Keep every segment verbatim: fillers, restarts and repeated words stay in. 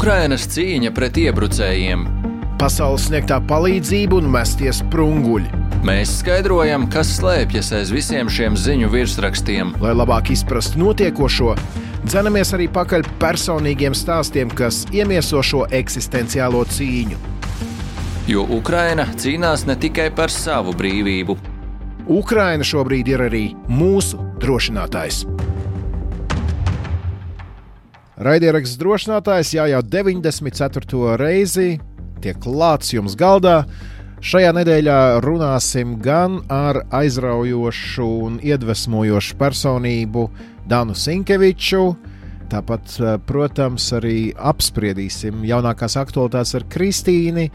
Ukrainas cīņa pret iebrucējiem. Pasaules sniegtā palīdzība un mestie sprunguļi. Mēs skaidrojam, kas slēpjas aiz visiem šiem ziņu virsrakstiem. Lai labāk izprastu notiekošo, dzenamies arī pakaļ personīgiem stāstiem, kas iemieso šo eksistenciālo cīņu. Jo Ukraina cīnās ne tikai par savu brīvību. Ukraina šobrīd ir arī mūsu drošinātājs. Raidieraksts drošinātājs jā, jau deviņdesmit ceturto reizi tiek klāts jums galdā. Šajā nedēļā runāsim gan ar aizraujošu un iedvesmojošu personību Danu Sinkeviču. Tāpat, protams, arī apspriedīsim jaunākās aktualitātes ar Kristīni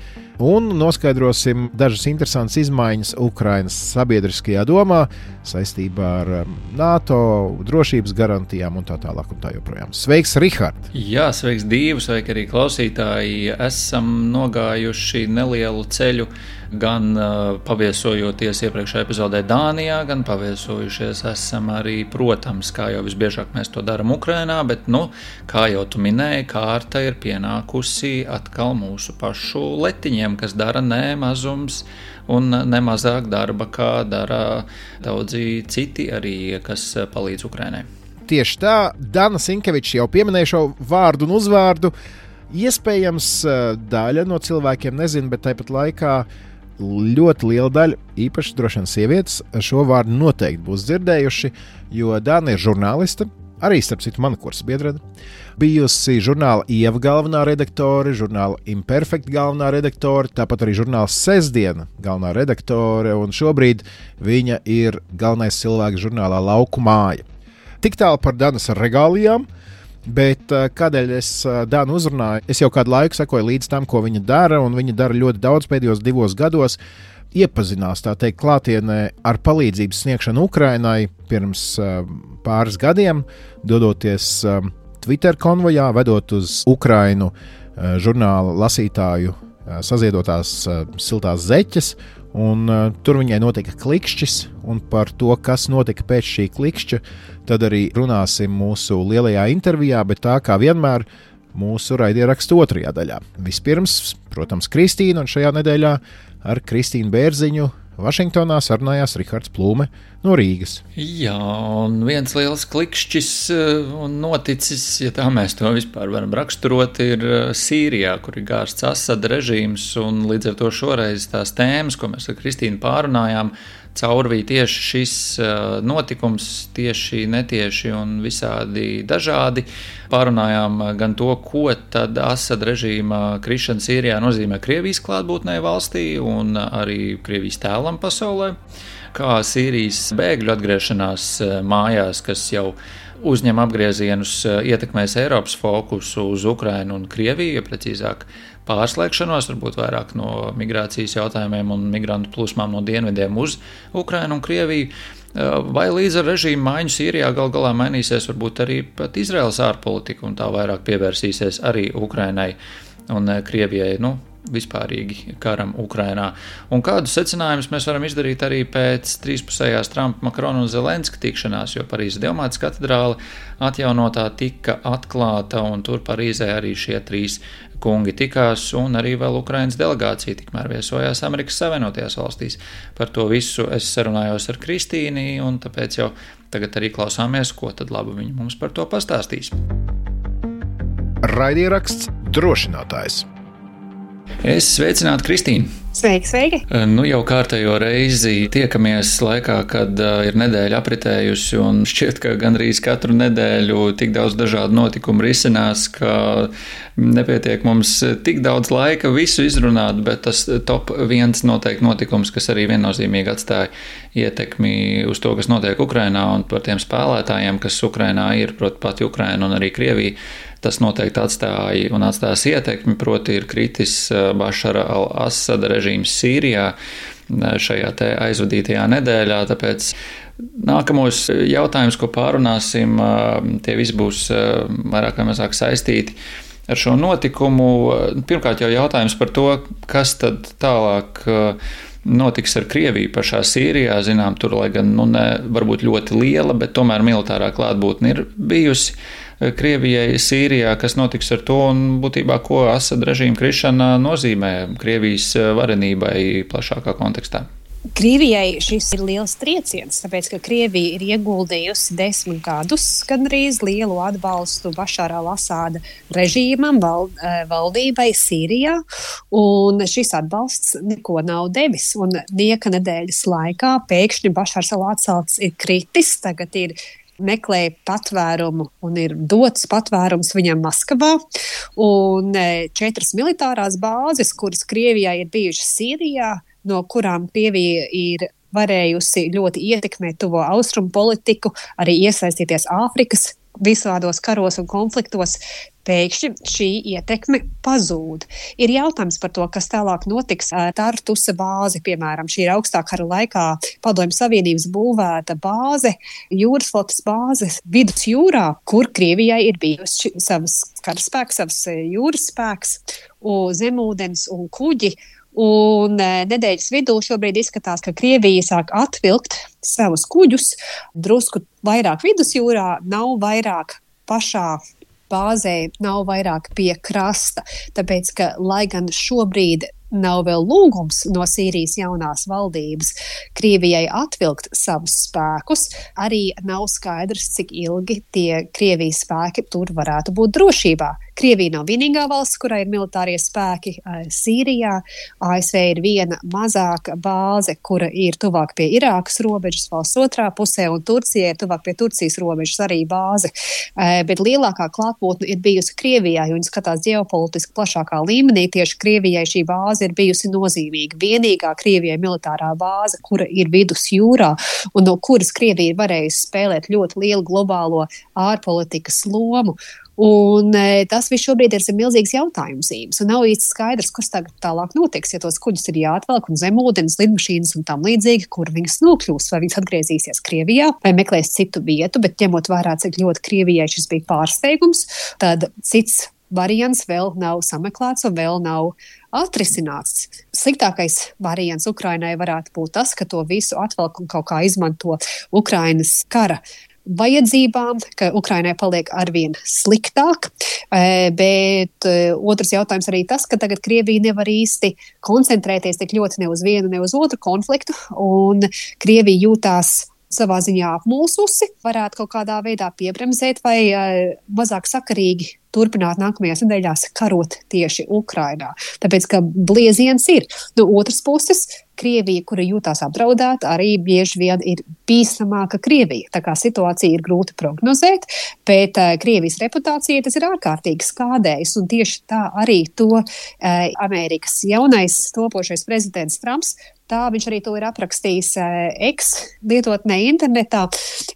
un noskaidrosim dažas interesantas izmaiņas Ukrainas sabiedriskajā domā saistībā ar NATO drošības garantijām un tā tālāk un tā joprojām. Sveiks, Rihard! Jā, sveiks, Dīvu, sveiki arī klausītāji. Esam nogājuši nelielu ceļu, gan uh, paviesojoties iepriekšējā epizodē Dānijā, gan paviesojušies esam arī, protams, kā jau visbiežāk mēs to darām Ukrainā, bet, nu, kā jau tu minēji, kārta ir pienākusi atkal mūsu pašu letiņiem, kas dara ne mazums un ne mazāk darba, kā dara daudzi citi arī, kas palīdz Ukrainai. Tieši tā, Dana Sinkeviča jau pieminēja šo vārdu un uzvārdu. Iespējams, daļa no cilvēkiem nezina, bet tāpat laikā ļoti liela daļa, īpaši droši vien sievietes, šo vārdu noteikti būs dzirdējuši, jo Dana ir žurnāliste, arī starp citu mana kursa biedrene, bijusi žurnāla Ieva galvenā redaktore, žurnāla Imperfect galvenā redaktore, tāpat arī žurnāla Sestdiena galvenā redaktore, un šobrīd viņa ir galvenais cilvēks žurnālā Lauku māja. Tik tālu par Danas regālijām. Bet kādēļ es Danu uzrunāju? Es jau kādu laiku sekoju līdz tam, ko viņa dara, un viņa dara ļoti daudz pēdējos divos gados. Iepazinās, tā teikt, klātienē ar palīdzības sniegšanu Ukrainai pirms pāris gadiem, dodoties Twitter konvojā, vedot uz Ukrainu žurnāla lasītāju saziedotās siltās zeķes. Un, uh, tur viņai notika klikšķis, un par to, kas notika pēc šī klikšķa, tad arī runāsim mūsu lielajā intervijā, bet tā kā vienmēr mūsu raidierakstu otrajā daļā. Vispirms, protams, Kristīna, un šajā nedēļā ar Kristīnu Bērziņu Vašingtonā sarunājās Rihards Plūme no Rīgas. Jā, un viens liels klikšķis un noticis, ja tā mēs to vispār varam raksturot, ir Sīrijā, kur ir gārsts Asada režīms, un līdz ar to šoreiz tās tēmas, ko mēs ar Kristīnu pārunājām, caurvīja tieši šis notikums, tieši netieši un visādi dažādi. Pārunājām gan to, ko tad Asada režīma krišana Sīrijā nozīmē Krievijas klātbūtnē valstī un arī Krievijas tēlam pasaulē, kā Sīrijas bēgļu atgriešanās mājās, kas jau uzņem apgriezienus, ietekmēs Eiropas fokusu uz Ukrainu un Krieviju, ja precīzāk pārslēgšanos, varbūt vairāk no migrācijas jautājumiem un migrantu plūsmām no dienvidiem uz Ukrainu un Krieviju. Vai līdz ar režīmu maiņu Sīrijā gal galā mainīsies varbūt arī pat Izraēlas ārpolitika un tā vairāk pievērsīsies arī Ukrainai un Krievijai, nu, vispārīgi karam Ukrainā. Un kādus secinājumus mēs varam izdarīt arī pēc trīspusējās Trumpa, Makrona un Zelenska tikšanās, jo Parīzes Dievmātes katedrāle atjaunotā tika atklāta, un tur Parīzē arī šie trīs kungi tikās, un arī vēl Ukrainas delegācija tikmēr viesojās Amerikas Savienotajās valstīs. Par to visu es sarunājos ar Kristīni, un tāpēc jau tagad arī klausāmies, ko tad labu viņi mums par to pastāstīs. Raidieraksts drošinātājs. Es sveicinātu Kristīnu. Sveiki, sveiki! Nu jau kārtējo reizi tiekamies laikā, kad uh, ir nedēļa apritējusi, un šķiet, ka gandrīz katru nedēļu tik daudz dažādu notikumu risinās, ka nepietiek mums tik daudz laika visu izrunāt, bet tas top viens noteikti notikums, kas arī viennozīmīgi atstāja ietekmi uz to, kas notiek Ukrainā, un par tiem spēlētājiem, kas Ukrainā ir, proti pati Ukraina un arī Krievija. Tas noteikti atstāja un atstās ietekmi, proti ir kritis Bašara al-Asada režīms Sīrijā šajā te aizvadītajā nedēļā, tāpēc nākamos jautājumus, ko pārunāsim, tie visi būs vairāk vai mazāk saistīti ar šo notikumu. Pirmkārt jau jautājums par to, kas tad tālāk notiks ar Krieviju pašā Sīrijā. Zinām, tur, lai gan nu, ne, varbūt ļoti liela, bet tomēr militārā klātbūtne ir bijusi. Krievijai Sīrijā, kas notiks ar to un būtībā, ko Asada režīma krišana nozīmē Krievijas varenībai plašākā kontekstā? Krievijai šis ir liels trieciens, tāpēc, ka Krievija ir ieguldījusi desmit gadus gandrīz lielu atbalstu Bašāra al-Asāda režīmam, val, valdībai Sīrijā, un šis atbalsts neko nav devis. Un nieka nedēļas laikā pēkšņi Bašārs al-Asāds ir kritis, tagad ir meklē patvērumu un ir dots patvērums viņam Maskavā. Un četras militārās bāzes, kuras Krievijā ir bijušas Sīrijā, no kurām Krievija ir varējusi ļoti ietekmēt tuvo austrumu politiku, arī iesaistīties Āfrikas visādos karos un konfliktos, pēkšņi šī ietekme pazūd. Ir jautājums par to, kas tālāk notiks ar Tartusa bāzi, piemēram, šī ir augstā kara laikā Padomju Savienības būvēta bāze, jūras flotes bāze vidusjūrā, kur Krievijai ir bijusi savas karaspēks, savas jūras spēks, zemūdens un kuģi. Un nedēļas vidū šobrīd izskatās, ka Krievija sāk atvilkt savus kuģus drusku vairāk vidusjūrā, nav vairāk pašā bāzē, nav vairāk pie krasta. Tāpēc, ka lai gan šobrīd nav vēl lūgums no Sīrijas jaunās valdības Krievijai atvilkt savus spēkus, arī nav skaidrs, cik ilgi tie Krievijas spēki tur varētu būt drošībā. Krievija nav vienīgā valsts, kurai ir militārie spēki Sīrijā. A S V ir viena mazāka bāze, kura ir tuvāk pie Irākas robežas, valsts otrā pusē, un Turcija ir tuvāk pie Turcijas robežas arī bāze. Bet lielākā klātbūtne ir bijusi Krievijā, jo viņi skatās ģeopolitiski plašākā līmenī. Tieši Krievijai šī bāze ir bijusi nozīmīga. Vienīgā Krievijai militārā bāze, kura ir vidusjūrā, un no kuras Krievija ir varējusi spēlēt ļoti lielu globālo ārpolitikas lomu. Un e, tas viss šobrīd ir milzīgs jautājums zīmes, un nav īsti skaidrs, kas tagad tālāk notiks, ja tos kuģus ir jāatvelk un zemūdens, lidmašīnas un tam līdzīgi, kur viņas nokļūs, vai viņas atgriezīsies Krievijā, vai meklēs citu vietu, bet ņemot vērā, cik ļoti Krievijai šis bija pārsteigums, tad cits variants vēl nav sameklēts un vēl nav atrisināts. Sliktākais variants Ukrainai varētu būt tas, ka to visu atvelk un kaut kā izmanto Ukrainas kara vajadzībām, ka Ukrainai paliek arvien sliktāk, bet otrs jautājums arī tas, ka tagad Krievija nevar īsti koncentrēties tik ļoti ne uz vienu, ne uz otru konfliktu, un Krievija jūtās savā ziņā apmulsusi, varētu kaut kādā veidā piebremzēt vai mazāk sakarīgi turpināt nākamajās nedēļās karot tieši Ukrainā. Tāpēc, ka blieziens ir. No otras puses, Krievija, kura jūtās apdraudēta, arī bieži vien ir bīstamāka Krievija. Tā kā situācija ir grūti prognozēt, bet uh, Krievijas reputācija tas ir ārkārtīgi skādējis, un tieši tā arī to uh, Amerikas jaunais topošais prezidents Trumps, tā viņš arī to ir aprakstījis uh, X lietotnē internetā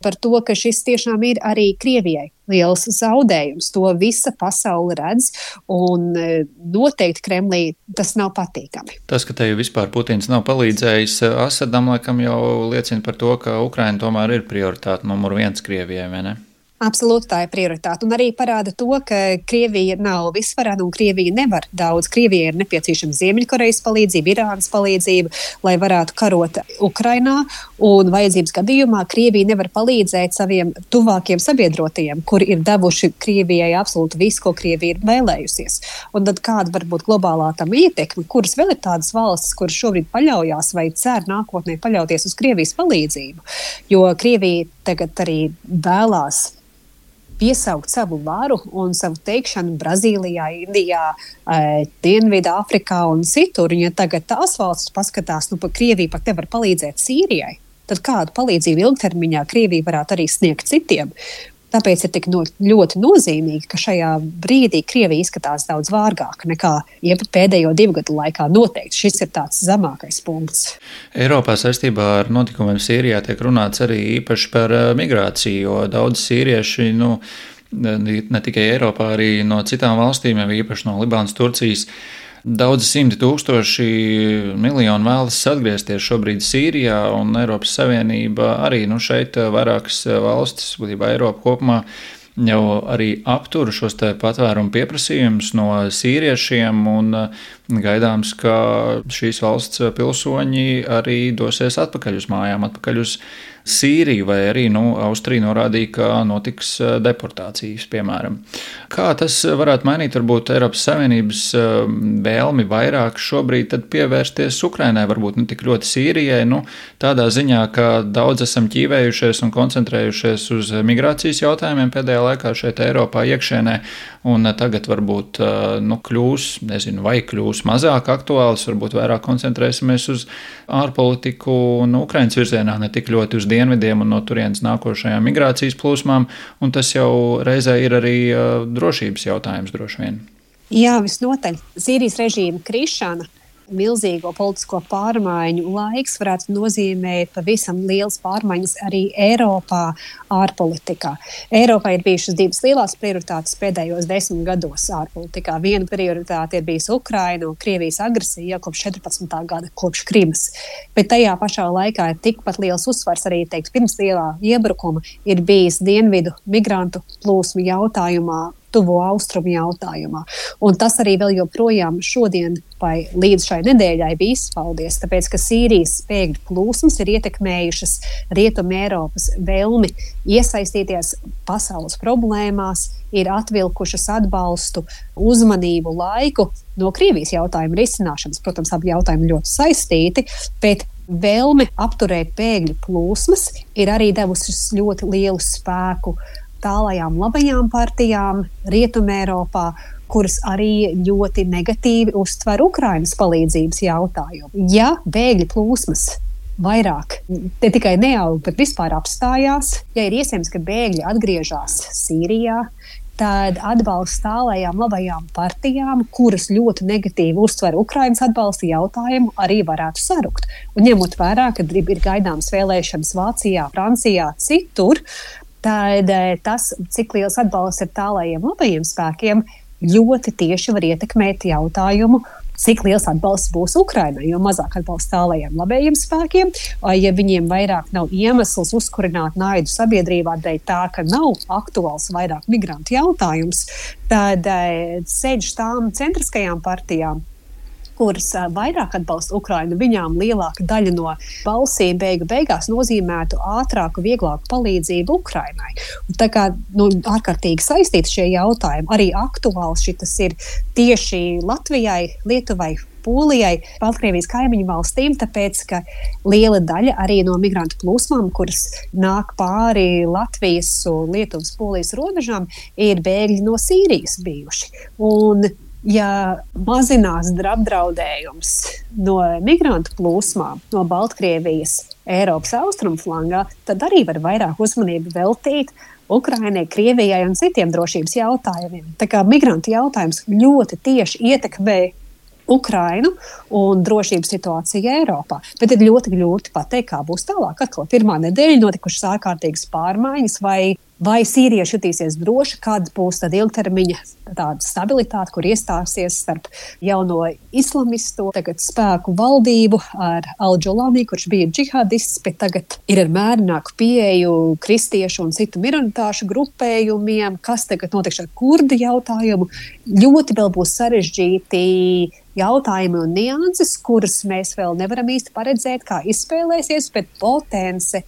par to, ka šis tiešām ir arī Krievijai liels zaudējums. To visa pasaule redz, un noteikti Kremlī tas nav patīkami. Tas, ka te jau vispār Putins nav palīdzējis Asadam, laikam jau liecina par to, ka Ukraina tomēr ir prioritāte numur viens Krievijai, vai ne? Absolūti tā ir prioritāte, un arī parāda to, ka Krievija nav visvarena un Krievija nevar daudz. Krievijai ir nepieciešama Ziemeļkorejas palīdzība, Irānas palīdzība, lai varētu karot Ukrainā, un vajadzības gadījumā Krievija nevar palīdzēt saviem tuvākiem sabiedrotajiem, kuri ir devuši Krievijai absolūti visu, ko Krievija ir vēlējusies. Un tad kāda var būt globālā tam ietekme, kuras vēl ir tādas valstis, kuras šobrīd paļaujās vai cer nākotnē paļauties uz Krievijas palīdzību, jo Krievija tagad arī vēlās piesaukt savu varu un savu teikšanu Brazīlijā, Indijā, Dienvidā, Afrikā un citur. Ja tagad tās valstis paskatās, nu, pa Krievija pat nevar palīdzēt Sīrijai, tad kādu palīdzību ilgtermiņā Krievija varētu arī sniegt citiem. Tāpēc ir tik no, ļoti nozīmīgi, ka šajā brīdī Krievija izskatās daudz vārgāka nekā pēdējo divu gadu laikā. Noteikti šis ir tāds zemākais punkts. Eiropā saistībā ar notikumiem Sīrijā tiek runāts arī īpaši par migrāciju, jo daudz sīrieši, nu, ne tikai Eiropā, arī no citām valstīm, jau īpaši no Libānas, Turcijas, daudzi simti tūkstoši miljoni vēlas atgriezties šobrīd Sīrijā, un Eiropas Savienība arī, nu, šeit vairākas valstis, būtībā Eiropa kopumā, jau arī aptur šos te patvērumu pieprasījumus no sīriešiem, un gaidāms, ka šīs valsts pilsoņi arī dosies atpakaļ uz mājām, atpakaļ uz Sīriju, vai arī nu, Austrija norādīja, ka notiks deportācijas, piemēram. Kā tas varētu mainīt varbūt Eiropas Savienības vēlmi vairāk šobrīd tad pievērsties Ukrainai, varbūt ne tik ļoti Sīrijai, nu, tādā ziņā, ka daudz esam ķīvējušies un koncentrējušies uz migrācijas jautājumiem pēdējā laikā šeit Eiropā iekšēnē, un tagad varbūt nu, kļūs, nezinu, vai kļūs mazāk aktuāls, varbūt vairāk koncentrēsimies uz ārpolitiku un Ukrainas virzienā, ne tik ļoti uz dienvidiem un no turienes nākošajām migrācijas plūsmām, un tas jau reizē ir arī uh, drošības jautājums droši vien. Jā, visnotaļ. Sīrijas režīma krišana, milzīgo politisko pārmaiņu laiks varētu nozīmēt pavisam lielas pārmaiņas arī Eiropā ārpolitikā. Eiropā ir bijušas divas lielās prioritātes pēdējos desmit gados ārpolitikā. Viena prioritāte ir bijusi Ukraina un Krievijas agresija kopš četrpadsmitā gada, kopš Krimas. Bet tajā pašā laikā ir tikpat liels uzsvars arī, teikt, pirms lielā iebrukuma ir bijis dienvidu migrantu plūsmu jautājumā, tuvo austrumu jautājumā. Un tas arī vēl joprojām šodien vai līdz šai nedēļai bija izpaudies, tāpēc, ka Sīrijas bēgļu plūsmas ir ietekmējušas Rietumu Eiropas vēlmi iesaistīties pasaules problēmās, ir atvilkušas atbalstu, uzmanību, laiku no Krievijas jautājuma risināšanas. Protams, abi jautājumi ļoti saistīti, bet vēlme apturēt bēgļu plūsmas ir arī devusi ļoti lielu spēku tālajām labajām partijām Rietumēropā, kuras arī ļoti negatīvi uztver Ukrainas palīdzības jautājumu. Ja bēgļu plūsmas vairāk ne tikai neaug, bet vispār apstājās, ja ir iespējams, ka bēgļi atgriežas Sīrijā, tad atbalsts tālajām labajām partijām, kuras ļoti negatīvi uztver Ukrainas atbalsta jautājumu, arī varētu sarukt. Un ņemot vērā, ka ir gaidāmas vēlēšanas Vācijā, Francijā, citur, tad tas, cik liels atbalsts ir tālajiem labajiem spēkiem, ļoti tieši var ietekmēt jautājumu, cik liels atbalsts būs Ukrainai, jo mazāk atbalsts tālajiem labējiem spēkiem, ja viņiem vairāk nav iemesls uzkurināt naidu sabiedrībā dēļ tā, ka nav aktuāls vairāk migrantu jautājums, tad ceļš tām centriskajām partijām, kuras vairāk atbalsta Ukrainu, viņām lielāka daļa no balsīm beigu beigās nozīmētu ātrāku, vieglāku palīdzību Ukrainai. Un tā kā nu, ārkārtīgi saistīti šie jautājumi, arī aktuāls šitas ir tieši Latvijai, Lietuvai, Polijai, Baltkrievijas kaimiņu valstīm, tāpēc, ka liela daļa arī no migrantu plūsmām, kuras nāk pāri Latvijas un Lietuvas, Polijas robežām, ir bēgļi no Sīrijas bijuši. Un ja mazinās apdraudējums no migrantu plūsmām, no Baltkrievijas, Eiropas austrumu flangā, tad arī var vairāk uzmanību veltīt Ukrainai, Krievijai un citiem drošības jautājumiem. Tā kā migrantu jautājums ļoti tieši ietekmē Ukrainu un drošības situāciju Eiropā. Bet ir ļoti grūti pateikt, kā būs tālāk. Atkal pirmā nedēļa notikušas ārkārtīgas pārmaiņas, vai Vai sīrieši jutīsies droši, kāda būs tad ilgtermiņa tāda stabilitāte, kur iestāsies starp jauno islamistu tagad spēku valdību ar Al-Džolani, kurš bija džihadists, bet tagad ir ar mērināku pieeju kristiešu un citu minoritāšu grupējumiem, kas tagad notiks ar kurdu jautājumu. Ļoti vēl būs sarežģīti jautājumi un nianses, kuras mēs vēl nevaram īsti paredzēt, kā izspēlēsies, bet potence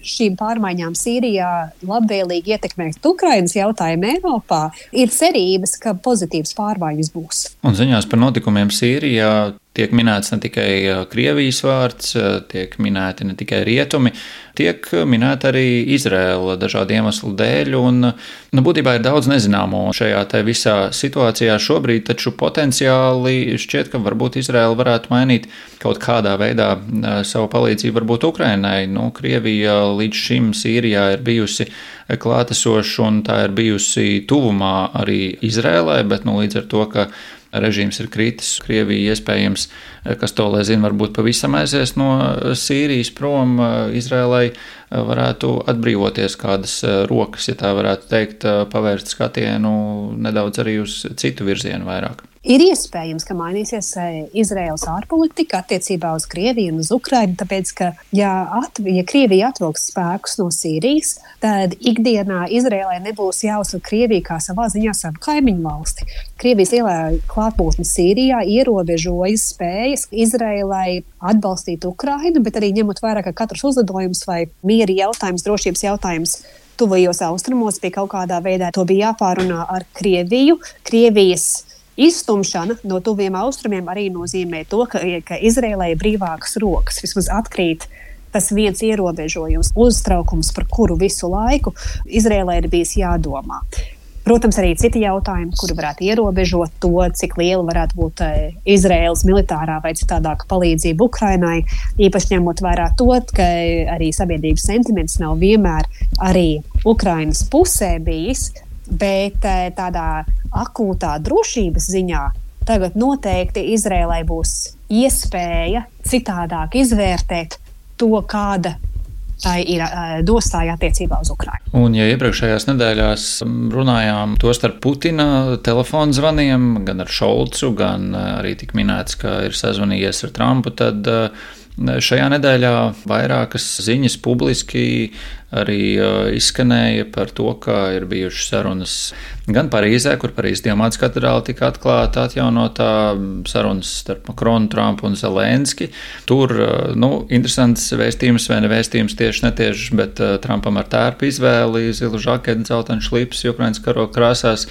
šīm pārmaiņām Sīrijā labvēlīgi ietekmēt Ukrainas jautājumu Eiropā, ir cerības, ka pozitīvas pārmaiņas būs. Un ziņās par notikumiem Sīrijā tiek minēts ne tikai Krievijas vārds, tiek minēti ne tikai rietumi, tiek minēta arī Izraela dažādu iemeslu dēļ, un nu, būtībā ir daudz nezināmo šajā te visā situācijā šobrīd, taču potenciāli šķiet, ka varbūt Izraela varētu mainīt kaut kādā veidā savu palīdzību varbūt Ukrainai. Nu, Krievija līdz šim Sīrijā ir bijusi klātesoša un tā ir bijusi tuvumā arī Izraēlai, bet nu, līdz ar to, ka režīms ir kritis, Krievija iespējams, kas to lai zina, varbūt pavisam aizies no Sīrijas prom, Izraēlai varētu atbrīvoties kādas rokas, ja tā varētu teikt, pavērst skatienu nedaudz arī uz citu virzienu vairāk. Ir iespējams, ka mainīsies Izraēlas ārpolitika attiecībā uz Krieviju un uz Ukrainu, tāpēc, ka, ja, at, ja Krievija atvilks spēkus no Sīrijas, tad ikdienā Izraēlai nebūs jāuzsver Krieviju kā savā ziņā savu kaimiņu valsti. Krievijas lielā klātbūtne Sīrijā ierobežojas spējas Izraēlai atbalstīt Ukrainu, bet arī ņemot vērā, ka katrs uzlidojums vai miera jautājums, drošības jautājums tuvajos austrumos pie kaut kādā veidā to bija jāpārunā ar Krieviju. Krievijas izstumšana no tuviem austrumiem arī nozīmē to, ka, ka Izraēlai ir brīvākas rokas. Vismaz atkrīt tas viens ierobežojums, uztraukums, par kuru visu laiku Izraēlai ir bijis jādomā. Protams, arī citi jautājumi, kuri varētu ierobežot to, cik liela varētu būt Izraēlas militārā vai citādāka palīdzība Ukrainai, īpaši ņemot vērā to, ka arī sabiedrības sentiments nav vienmēr arī Ukrainas pusē bijis, bet tādā akūtā drošības ziņā tagad noteikti Izraēlai būs iespēja citādāk izvērtēt to, kāda tā ir nostāja attiecībā uz Ukrainu. Un, ja iepriekšējās nedēļās runājām to starp Putina telefonu zvaniem, gan ar Šolcu, gan arī tik minēts, ka ir sazvanījies ar Trumpu, tad šajā nedēļā vairākas ziņas publiski arī izskanēja par to, ka ir bijušas sarunas gan Parīzē, kur Parīzes Dievmātes katedrāle tika atklāta, atjaunotā, sarunas starp Makronu, Trumpu un Zelenski. Tur, nu, interesants vēstījums vai nevēstījums tieši netieši, bet Trumpam ar tērpu izvēli, zilu žaketi, dzeltenu šlips, Ukrainas karoga krāsās.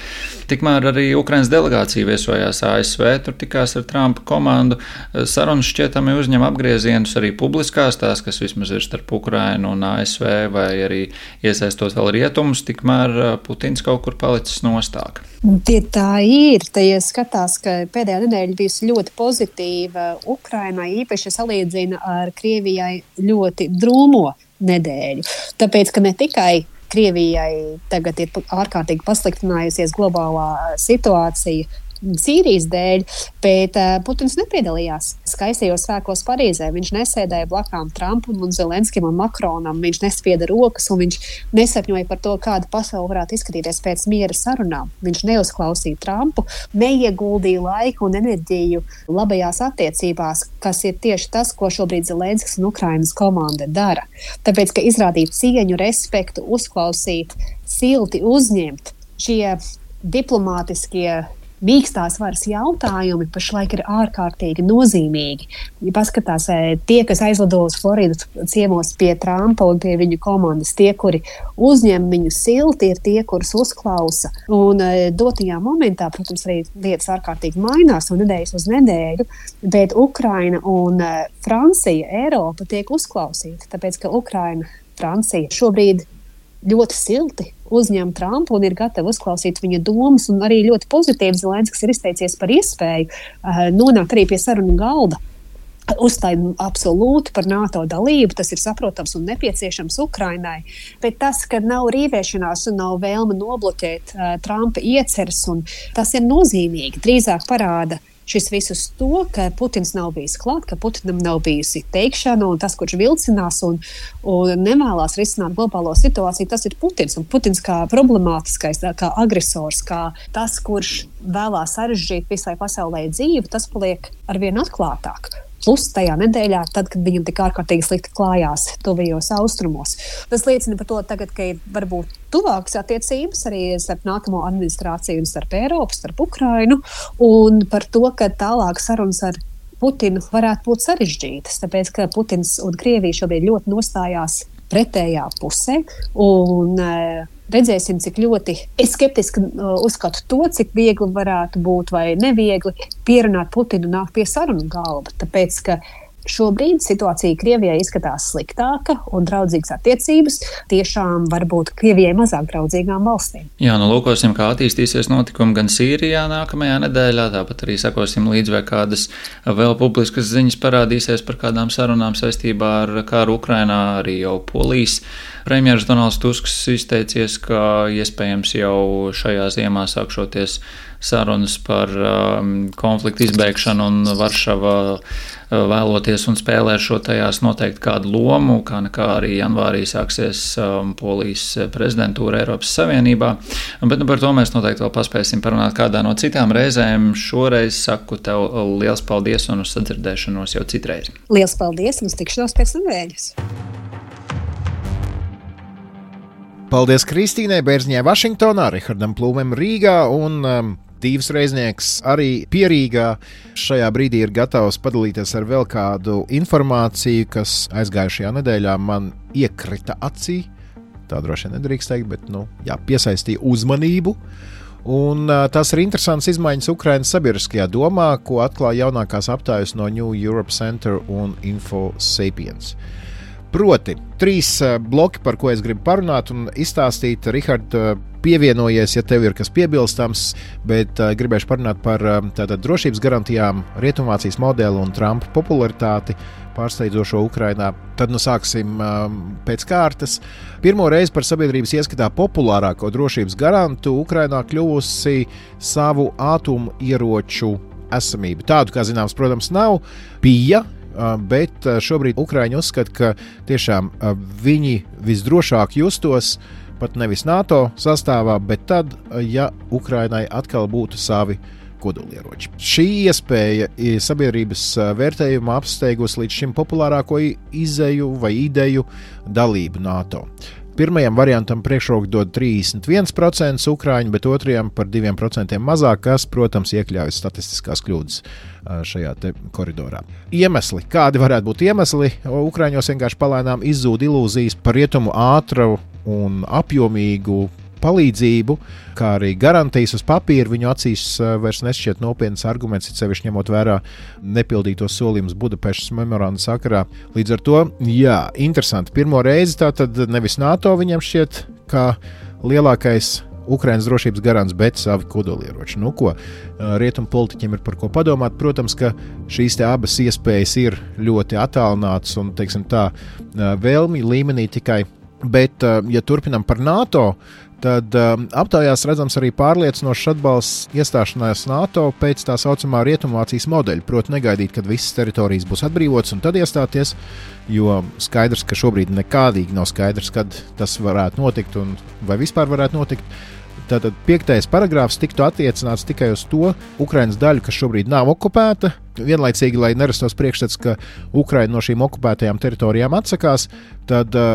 Tikmēr arī Ukrainas delegācija viesojās A S V, tur tikās ar Trumpa komandu. Sarunas šķietami uzņem apgriezienus arī publiskās, tās, kas vismaz ir starp Ukrainu un A S V vai arī iesaistot vēl rietumus, tikmēr Putins kaut kur palicis nostāk. Tie tā ir. Te ja skatās, ka pēdējā nedēļa bijusi ļoti pozitīva Ukrainai, īpaši salīdzina ar Krievijai ļoti drūmo nedēļu. Tāpēc, ka ne tikai Krievijai tagad ir ārkārtīgi pasliktinājusies globālā situācija Sīrijas dēļ, bet uh, Putins nepiedalījās skaistajos svētkos Parīzē. Viņš nesēdēja blakām Trumpam un Zelenskim un Makronam, viņš nespieda rokas un viņš nesapņoja par to, kāda pasaule varētu izskatīties pēc miera sarunām. Viņš neuzklausīja Trumpu, neieguldīja laiku un enerģiju labajās attiecībās, kas ir tieši tas, ko šobrīd Zelenskis un Ukrainas komanda dara. Tāpēc, ka izrādīt cieņu, respektu, uzklausīt, silti uzņemt šie diplomātiskie mīkstās varas jautājumi pašlaik ir ārkārtīgi nozīmīgi. Ja paskatās, tie, kas aizlido uz Floridu ciemos pie Trumpa un pie viņu komandas, tie, kuri uzņem viņu silti, ir tie, kurus uzklausa. Un dotajā momentā, protams, arī lietas ārkārtīgi mainās un nedēļas uz nedēļu, bet Ukraina un Francija, Eiropa tiek uzklausīta, tāpēc, ka Ukraina, Francija šobrīd ļoti silti uzņem Trumpu un ir gatavi uzklausīt viņa domas, un arī ļoti pozitīvi Zelenskis ir izteicies par iespēju uh, nonākt arī pie sarunu galda. Uzstāj absolūti par NATO dalību, tas ir saprotams un nepieciešams Ukrainai, bet tas, ka nav rīvēšanās un nav vēlme nobloķēt uh, Trumpa ieceres, un tas ir nozīmīgi, drīzāk parāda šis visus to, ka Putins nav bijis klāt, ka Putinam nav bijusi teikšana, un tas, kurš vilcinās un, un nevēlās risināt globālo situāciju, tas ir Putins. Un Putins kā problemātiskais, kā agresors, kā tas, kurš vēlās sarežģīt visai pasaulē dzīvi, tas paliek arvien atklātāk. Plus tajā nedēļā, tad, kad viņam tik ārkārtīgi slikti klājās tuvajos austrumos. Tas liecina par to tagad, ka ir varbūt tuvākas attiecības arī starp nākamo administrāciju un starp Eiropu, starp Ukrainu, un par to, ka tālāk sarunas ar Putinu varētu būt sarežģītas, tāpēc, ka Putins un Krievija šobrīd ļoti nostājās pretējā pusē, un redzēsim, cik ļoti es skeptiski uzskatu to, cik viegli varētu būt vai neviegli pierunāt Putinu nākt pie sarunu galda, tāpēc, ka šobrīd situācija Krievijai izskatās sliktāka un draudzīgas attiecības tiešām varbūt Krievijai mazāk draudzīgām valstīm. Jā, nu lūkosim, kā attīstīsies notikumi gan Sīrijā nākamajā nedēļā, tāpat arī sekosim līdz, vai kādas vēl publiskas ziņas parādīsies par kādām sarunām saistībā ar kāru Ukrainā. Arī jau Polijas premjeras Donalds Tusks izteicies, ka iespējams jau šajā ziemā sākšoties sarunas par um, konfliktu izbēgšanu, un Varšava vēloties un spēlē šo tajās noteikti kādu lomu, kā nekā arī janvārī sāksies um, Polijas prezidentūra Eiropas Savienībā. Bet nu, par to mēs noteikti vēl paspēsim parunāt kādā no citām reizēm. Šoreiz saku tev liels paldies un uz sadzirdēšanos jau citreiz. Liels paldies un uz tikšanos pēc nedēļas. Paldies Kristīnai Bērziņai Vašingtonā, Rihardam Plūmēm Rīgā un um, Tīvs Reiznieks arī Pierīgā. Šajā brīdī ir gatavs padalīties ar vēl kādu informāciju, kas aizgājušajā nedēļā man iekrita acī. Tā droši vien nedrīkst teikt, bet nu, jā, piesaistīja uzmanību. Un uh, tas ir interesants izmaiņas Ukrainas sabiedriskajā domā, ko atklāja jaunākās aptājas no New Europe Center un InfoSapiens. Proti, trīs uh, bloki, par ko es gribu parunāt un izstāstīt. Rihard, uh, pievienojies, ja tev ir kas piebilstams, bet uh, gribēšu parunāt par uh, tātad drošības garantijām, Rietumvācijas modeli un Trumpa popularitāti pārsteidzošo Ukrainā. Tad nu sāksim um, pēc kārtas. Pirmo reizi par sabiedrības ieskatā populārāko drošības garantu Ukrainā kļuvusi savu ātumu ieroču esamība. Tādu, kā zināms, protams, nav. Bija, uh, bet šobrīd Ukraiņi uzskata, ka tiešām uh, viņi visdrošāk justos pat nevis NATO sastāvā, bet tad, ja Ukrainai atkal būtu savi kodolieroči. Šī iespēja sabiedrības vērtējumā apsteigusi līdz šim populārāko izēju vai ideju dalību NATO. Pirmajam variantam priekšroku dod trīsdesmit viens procents ukrāņu, bet otrajam par diviem procentiem mazāk, kas, protams, iekļauj statistiskās kļūdas šajā te koridorā. Iemesli. Kādi varētu būt iemesli? Ukrāņos vienkārši palēnām izzūd ilūzijas par rietumu ātru un apjomīgu palīdzību, kā arī garantijas uz papīra. Viņu acīs vairs nešķiet nopietnas arguments, it sevišķi ņemot vērā nepildītos solījumus Budapeštas memoranda sakarā. Līdz ar to, jā, interesanti. Pirmo reizi tātad nevis NATO viņam šķiet kā lielākais Ukrainas drošības garants, bet savi kodolieroči. Nu ko, rietumu politiķiem ir par ko padomāt. Protams, ka šīs te abas iespējas ir ļoti attālinātas un, teiksim tā, vēlmi līmenī tikai. Bet, ja turpinam par NATO, tad um, aptaujās redzams arī pārliecinošs atbalsts iestāšanās NATO pēc tā saucamā Rietumvācijas modeļa. Proti negaidīt, kad visas teritorijas būs atbrīvotas un tad iestāties, jo skaidrs, ka šobrīd nekādīgi nav skaidrs, kad tas varētu notikt un vai vispār varētu notikt. Tātad piektais paragrāfs tiktu attiecināts tikai uz to Ukrainas daļu, kas šobrīd nav okupēta. Vienlaicīgi, lai nerastos priekšstats, ka Ukraina no šīm okupētajām teritorijām atsakās, tad uh,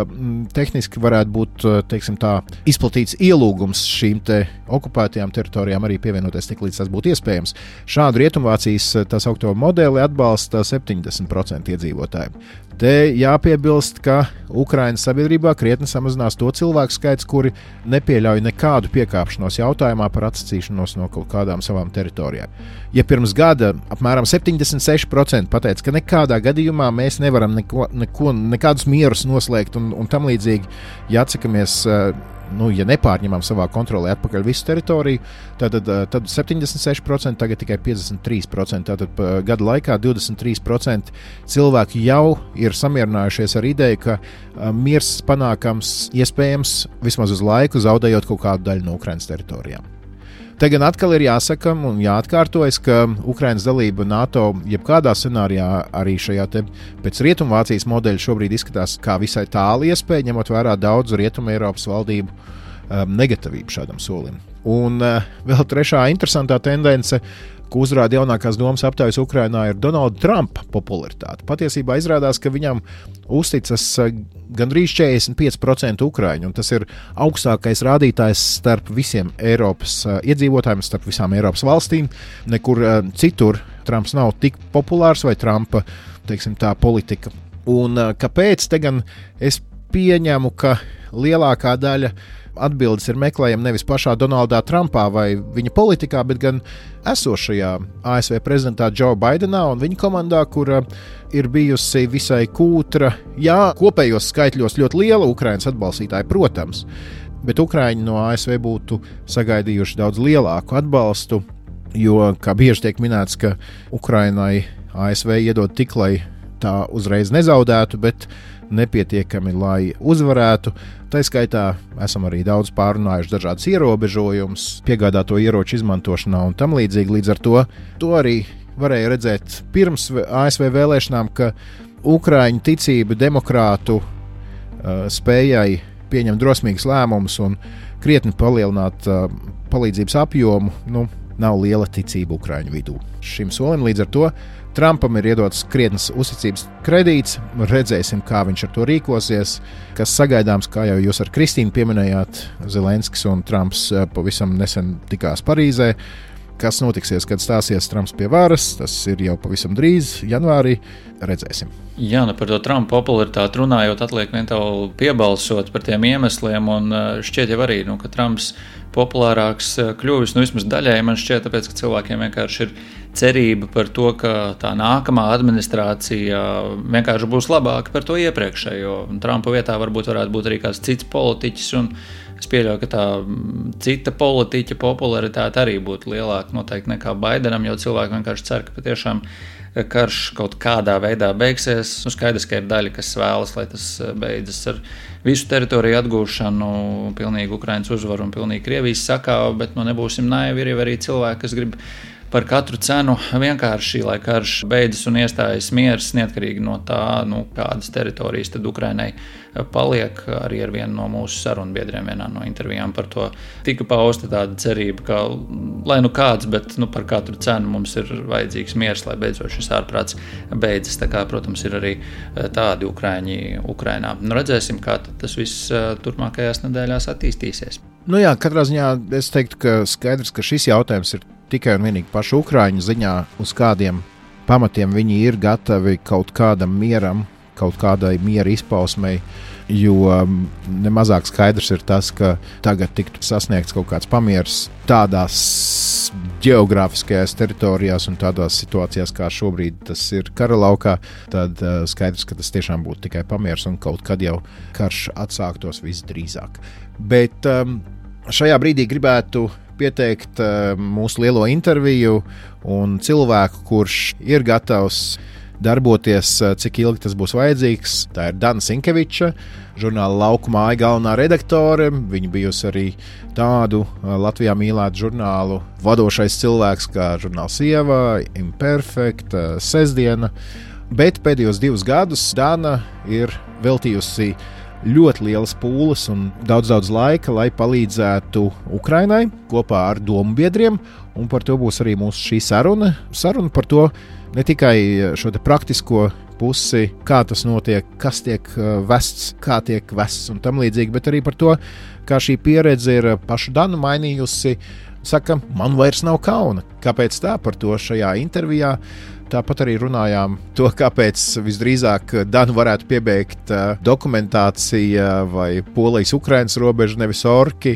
tehniski varētu būt, teiksim tā, izplatīts ielūgums šīm te okupētajām teritorijām arī pievienoties tik līdz tas būtu iespējams. Šādu Rietumvācijas tā saukto modeli atbalsta septiņdesmit procenti iedzīvotāji. Te jāpiebilst, ka Ukrainas sabiedrībā krietni samazinās to cilvēku skaits, kuri nepieļauj nekādu piekāpšanos jautājumā par atsacīšanos no kaut kādām savām teritorijām. Ja pirms gada apmēram septiņdesmit seši procenti pateica, ka nekādā gadījumā mēs nevaram neko, neko, nekādus mierus noslēgt un, un tam līdzīgi, ja atsakamies, nu, ja nepārņemam savā kontrolē atpakaļ visu teritoriju, tad, tad septiņdesmit seši procenti, tagad tikai piecdesmit trīs procenti. Tātad gada laikā divdesmit trīs procenti cilvēki jau ir samierinājušies ar ideju, ka miers panākams iespējams vismaz uz laiku, zaudējot kaut kādu daļu no Ukrainas teritorijām. Te gan atkal ir jāsaka un jāatkārtojas, ka Ukrainas dalība NATO jebkādā scenārijā arī šajā te pēc Rietumvācijas modeļa šobrīd izskatās kā visai tālu iespēja, ņemot vērā daudzu Rietumu Eiropas valdību um, negatīvību šādam solim. Un uh, vēl trešā interesantā tendence, ko uzrāda jaunākās domas aptaujas Ukrainā, ir Donalda Trumpa popularitāte. Patiesībā izrādās, ka viņam uzticas gandrīz četrdesmit pieci procenti ukrāņu, un tas ir augstākais rādītājs starp visiem Eiropas iedzīvotājiem, starp visām Eiropas valstīm. Nekur citur Trumps nav tik populārs vai Trumpa, teiksim tā, politika. Un kāpēc? Te gan es pieņemu, ka lielākā daļa atbildes ir meklējama nevis pašā Donaldā Trumpā vai viņa politikā, bet gan esošajā A S V prezidentā Joe Bidenā un viņa komandā, kura ir bijusi visai kūtra, jā, kopējos skaitļos ļoti liela Ukrainas atbalstītāja, protams, bet Ukraiņi no A S V būtu sagaidījuši daudz lielāku atbalstu, jo, kā bieži tiek minēts, ka Ukrainai A S V iedod tik, lai tā uzreiz nezaudētu, bet nepietiekami, lai uzvarētu. Tā skaitā esam arī daudz pārunājuši dažādas ierobežojumus, piegādāto ieroču izmantošanā un tam līdzīgi. Līdz ar to, to arī varēja redzēt pirms A S V vēlēšanām, ka Ukraiņu ticība demokrātu uh, spējai pieņemt drosmīgus lēmumus un krietni palielināt uh, palīdzības apjomu, nu, nav liela ticība Ukraiņu vidū. Šim solim līdz ar to Trumpam ir iedots krietnes uzticības kredīts. Redzēsim, kā viņš ar to rīkosies. Kas sagaidāms, kā jau jūs ar Kristīnu pieminējāt, Zelenskis un Trumps pavisam nesen tikās Parīzē. Kas notiksies, kad stāsies Trumps pie varas, tas ir jau pavisam drīz, janvārī. Redzēsim. Jā, nu par to Trumpa popularitāti runājot, atliek vien tev piebalsot par tiem iemesliem, un šķiet jau arī, nu, ka Trumps populārāks kļuvis, nu vismaz daļai man šķiet, tāpēc, ka cilvēkiem vienkārši ir cerība par to, ka tā nākamā administrācija vienkārši būs labāka par to iepriekšējo. Trumpa vietā varbūt varētu būt arī kāds cits politiķis, un es pieļauju, ka tā cita politiķa popularitāte arī būtu lielāka noteikti nekā Baidenam, jo cilvēki vienkārši cer, ka patiešām karš kaut kādā veidā beigsies. Nu, skaidrs, ka ir daļa, kas vēlas, lai tas beidzas ar visu teritoriju atgūšanu, pilnīgu Ukrainas uzvaru un pilnīgi Krievijas sakāvu, bet nu, nebūsim naivi, ir arī cilvēki, kas grib par katru cenu vienkārši, lai karš beidzas un iestājas miers, neatkarīgi no tā, nu, kādas teritorijas tad Ukrainai paliek. Arī ar vienu no mūsu sarunbiedriem vienā no intervijām par to tika pausta tāda cerība, ka, lai nu kāds, bet nu, par katru cenu mums ir vajadzīgs miers, lai beidzot šis ārprāts beidzas. Tā kā, protams, ir arī tādi Ukraiņi Ukrainā. Nu, redzēsim, kā tas viss turpmākajās nedēļās attīstīsies. Nu jā, katrā ziņā es teiktu, ka skaidrs, ka šis jautājums ir tikai un vienīgi pašu Ukraiņu ziņā, uz kādiem pamatiem viņi ir gatavi kaut kādam mieram, kaut kādai miera izpausmei, jo nemazāk skaidrs ir tas, ka tagad tiktu sasniegts kaut kāds pamiers tādās geogrāfiskajās teritorijās un tādās situācijās, kā šobrīd tas ir kara laukā, tad uh, skaidrs, ka tas tiešām būtu tikai pamiers un kaut kad jau karš atsāktos visdrīzāk. Bet um, šajā brīdī gribētu pieteikt uh, mūsu lielo interviju un cilvēku, kurš ir gatavs darboties, uh, cik ilgi tas būs vajadzīgs. Tā ir Dana Sinkeviča, žurnāla Lauku māja galvenā redaktore. Viņa bijusi arī tādu uh, Latvijā mīlētu žurnālu vadošais cilvēks kā žurnāls Sieva, Imperfect, uh, Sestdiena. Bet pēdējos divus gadus Dana ir veltījusi ļoti lielas pūles un daudz, daudz laika, lai palīdzētu Ukrainai kopā ar domu biedriem, un par to būs arī mūsu šī saruna. Saruna par to ne tikai šo te praktisko pusi, kā tas notiek, kas tiek vests, kā tiek vests un tam līdzīgi, bet arī par to, kā šī pieredze ir pašu Danu mainījusi. Saka, man vairs nav kauna. Kāpēc tā? Par to šajā intervijā. Tāpat arī runājām to, kāpēc visdrīzāk Danu varētu piebeigt uh, dokumentācija vai Polijas-Ukrainas robeža, nevis orki.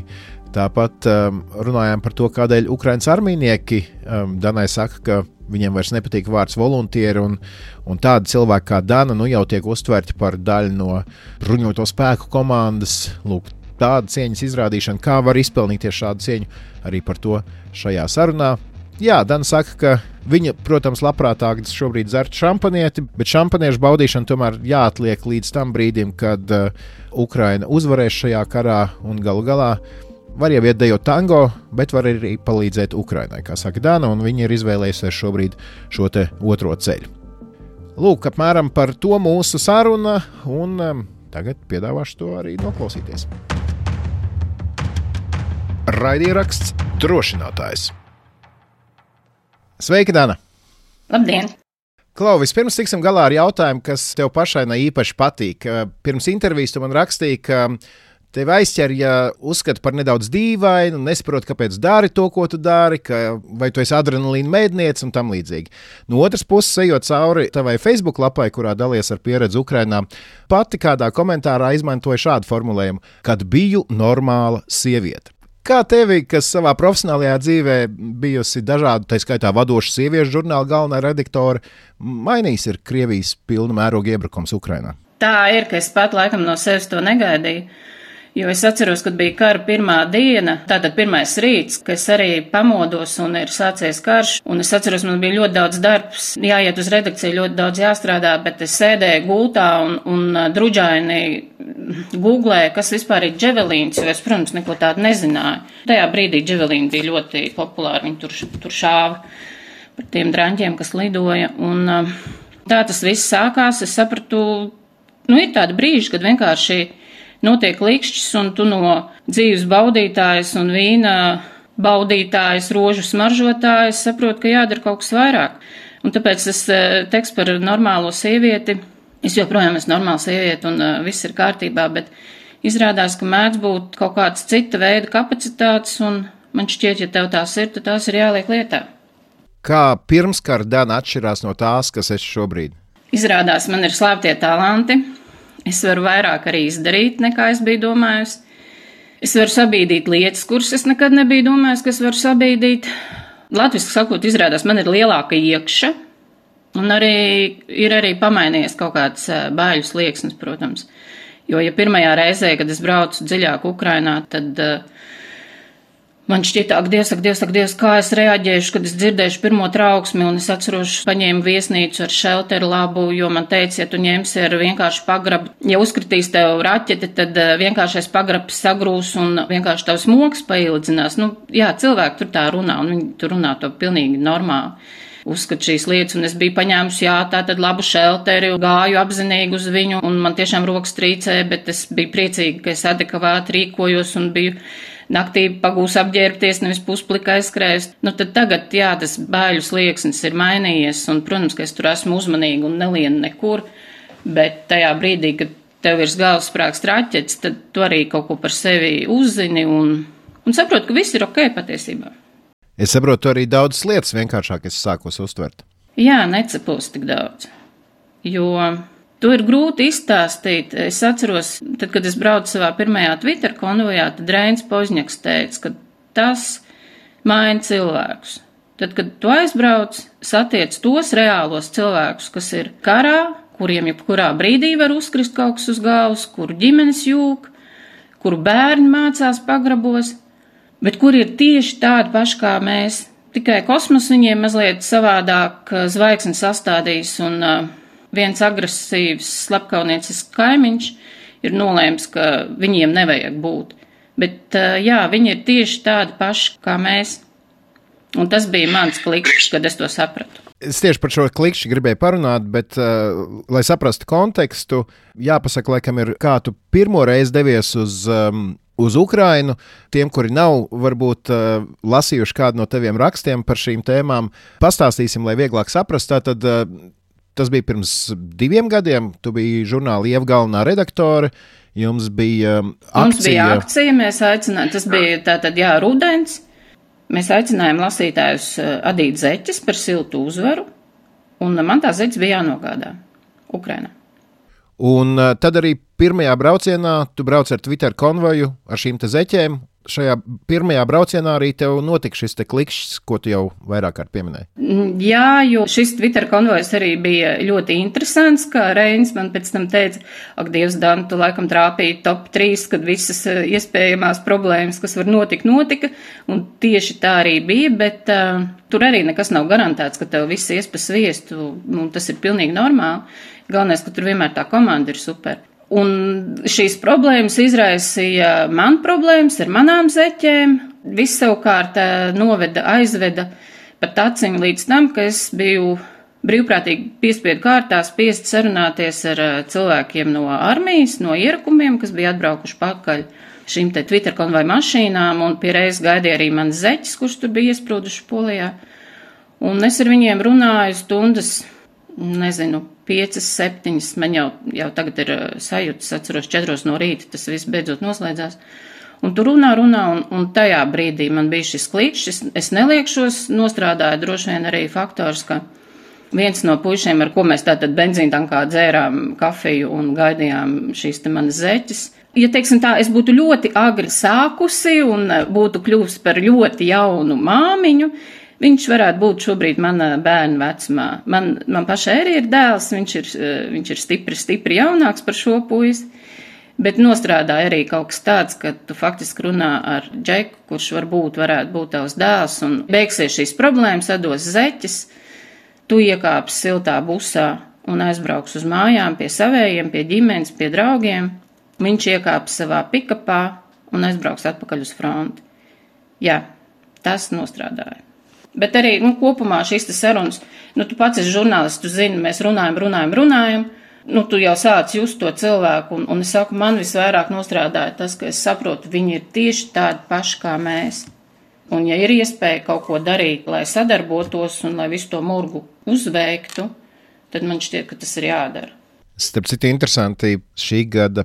Tāpat um, runājām par to, kādēļ Ukrainas armijnieki um, Danai saka, ka viņiem vairs nepatīk vārds voluntieri, un, un tādi cilvēki kā Dana nu, jau tiek uztverti par daļu no bruņoto spēku komandas. Lūk, tāda cieņas izrādīšana, kā var izpelnīties šādu cieņu, arī par to šajā sarunā. Jā, Dana saka, ka viņa, protams, labprātāk šobrīd dzert šampanieti, bet šampaniešu baudīšana tomēr jāatliek līdz tam brīdim, kad uh, Ukraina uzvarēs šajā karā un galu galā var jau iet dejot tango, bet var arī palīdzēt Ukrainai, kā saka Dana, un viņa ir izvēlējusies šobrīd šo te otro ceļu. Lūk, apmēram par to mūsu saruna, un um, tagad piedāvāšu to arī noklausīties. Raidieraksts Drošinātājs. Sveika, Dana! Labdien! Klau, vispirms tiksim galā ar jautājumu, kas tev pašai ne īpaši patīk. Pirms intervijas tu man rakstīji, ka tevi aizķer, ja uzskata par nedaudz dīvainu, nesaprot, kāpēc dari to, ko tu dari, ka vai tu esi adrenalīna mēdniece un tam līdzīgi. No otras puses, ejot cauri tavai Facebook lapai, kurā dalies ar pieredzi Ukrainā, pati kādā komentārā izmantoja šādu formulējumu, kad biju normāla sieviete. Kā tevi, kas savā profesionālajā dzīvē bijusi dažādu, tā skaitā vadošu sieviešu žurnāla galvenā redaktore, mainījis ir Krievijas pilna mēroga iebrukums Ukrainā? Tā ir, ka es pat laikam no sevis to negaidīju, Jo es atceros, kad bija kara pirmā diena, tātad pirmais rīts, ka es arī pamodos un ir sācies karš. Un es atceros, man bija ļoti daudz darbs, jāiet uz redakciju, ļoti daudz jāstrādā, bet es sēdēju gultā un, un druģaini googlēju, kas vispār ir dževelīns, jo es, protams, neko tādu nezināju. Tajā brīdī dževelīni bija ļoti populāri, viņi tur, tur šāva par tiem draņķiem, kas lidoja. Un tā tas viss sākās, es sapratu, nu ir tādi brīži, kad vienkārši notiek likšķis, un tu no dzīves baudītājas un vīna baudītājas, rožu smaržotājas saproti, ka jādara kaut kas vairāk. Un tāpēc tas teksts par normālo sievieti, es joprojām esmu normāla sieviete un uh, viss ir kārtībā, bet izrādās, ka mēdz būt kaut kāds cita veida kapacitātes, un man šķiet, ja tev tās ir, tad tās ir jāliek lietā. Kā pirmskara Dana atšķirās no tās, kas esi šobrīd? Izrādās, man ir slēptie talanti. Es varu vairāk arī izdarīt, nekā es biju domājusi. Es varu sabīdīt lietas, kuras es nekad nebiju domājusi, ka es varu sabīdīt. Latviski sakot, izrādās, man ir lielāka iekša, un arī ir arī pamainījies kaut kāds baiļu slieksnis, protams. Jo, ja pirmajā reizē, kad es braucu dziļāk Ukrainā, tad uh, man šķita, ak, Dievs, ak, Dievs, ak, Dievs, kā es reaģēšu, kad es dzirdēšu pirmo trauksmi, un es atceros, paņēmu viesnīcu ar šelteru labu, jo man teica, ja tu ņemsi ar vienkārši pagrabu, ja uzkritīs tev raķeti, tad vienkāršais pagrabs sagrūs un vienkārši tavs moks paildzinās. Nu, jā, cilvēki tur tā runā, un viņi tur runā to pilnīgi normāli. Uzskat šīs lietas, un es biju paņēmusi, jā, tā tad labu šelteri, gāju apzinīgi uz viņu, un man tiešām rokas trīcēja, bet es biju priecīga, ka es adekvāti rīkojos un biju naktī pagūs apģērbties, nevis pusplikā aizskrējus. Nu, tad tagad, jā, tas baiļu slieksnis ir mainījies, un, protams, ka es tur esmu uzmanīga un nelienu nekur, bet tajā brīdī, kad tev virs galvas sprākst raķets, tad tu arī kaut ko par sevi uzzini un, un saproti, ka viss ir ok patiesībā. Es saprotu, arī daudzas lietas vienkāršāk es sākos uztvert. Jā, necepos tik daudz, jo to ir grūti izstāstīt. Es atceros, tad, kad es braucu savā pirmajā Twitter konvojā, tad Reinis Požņaks teica, ka tas maina cilvēkus. Tad, kad tu aizbrauc, satiec tos reālos cilvēkus, kas ir karā, kuriem jebkurā brīdī var uzkrist kaut kas uz galvas, kuru ģimenes jūg, kuru bērni mācās pagrabos, bet kuri ir tieši tādi paši kā mēs. Tikai kosmos viņiem mazliet savādāk zvaigznes sastādījis, un uh, viens agresīvs slepkauniecisks kaimiņš ir nolēms, ka viņiem nevajag būt. Bet uh, jā, viņi ir tieši tādi paši kā mēs. Un tas bija mans klikšķis, kad es to sapratu. Es tieši par šo klikšķi gribēju parunāt, bet, uh, lai saprastu kontekstu, jāpasaka, laikam ir, kā tu pirmo reizi devies uz, um, uz Ukrainu. Tiem, kuri nav varbūt uh, lasījuši kādu no taviem rakstiem par šīm tēmām, pastāstīsim, lai vieglāk saprast. Tātad, uh, tas bija pirms diviem gadiem, tu biji žurnāla Ieva galvenā redaktore, jums bija um, akcija. Mums bija akcija, mēs aicinājām, tas bija tātad, jā, rudens. Mēs aicinājām lasītājus adīt zeķes par siltu uzvaru, un man tā zeķes bija jānogādā Ukrainā. Un tad arī pirmajā braucienā tu brauc ar Twitter konvoju ar šīm te zeķēm. Šajā pirmajā braucienā arī tev notika šis te klikšķis, ko tu jau vairāk kārt pieminēji. Jā, jo šis Twitter konvojs arī bija ļoti interesants, kā Reinis man pēc tam teica, ak, Dievs, Dan, tu laikam trāpīji top trīs, kad visas iespējamās problēmas, kas var notikt, notika, un tieši tā arī bija, bet uh, tur arī nekas nav garantēts, ka tev viss ies pa sviestu, un tas ir pilnīgi normāli. Galvenais, ka tur vienmēr tā komanda ir super. Un šīs problēmas izraisīja man problēmas ar manām zeķēm. Viss savukārt noveda, aizveda pat aciņu līdz tam, ka es biju brīvprātīgi piespiedu kārtā spiest sarunāties ar cilvēkiem no armijas, no ierakumiem, kas bija atbraukuši pakaļ šīm te Twitter konvoju mašīnām, un pie reizes gaidīja arī manas zeķes, kurš tur bija iesprūduši Polijā. Un es ar viņiem runāju stundas, nezinu, piecas, septiņas, man jau, jau tagad ir sajūtas, atceros četros no rīta, tas viss beidzot noslēdzās. Un tu runā, runā, un, un tajā brīdī man bija šis klikšķis, es neliekšos, nostrādāju droši vien arī faktors, ka viens no puišiem, ar ko mēs tātad benzīntankā dzērām kafiju un gaidījām šīs te manas zeķes. Ja, teiksim tā, es būtu ļoti agri sākusi un būtu kļuvusi par ļoti jaunu māmiņu, viņš varētu būt šobrīd mana bērna vecumā. Man, man pašai arī ir dēls, viņš ir, viņš ir stipri, stipri jaunāks par šo puisi, Bet nostrādāja arī kaut kas tāds, ka tu faktiski runā ar Džeku, kurš varbūt varētu būt tavs dēls, un beigsies šīs problēmas, atdos zeķes, tu iekāpsi siltā busā un aizbrauks uz mājām pie savējiem, pie ģimenes, pie draugiem. Viņš iekāps savā pikapā un aizbrauks atpakaļ uz fronti. Jā, tas nostrādāja. Bet arī, nu, kopumā šīs te sarunas, nu, tu pats esi žurnālists, tu zini, mēs runājam, runājam, runājam, nu, tu jau sāc just to cilvēku, un, un es saku, man visvairāk nostrādāja tas, ka es saprotu, viņi ir tieši tādi paši kā mēs. Un ja ir iespēja kaut ko darīt, lai sadarbotos un lai visu to murgu uzveiktu, tad man šķiet, ka tas ir jādara. Starp citu interesanti, šī gada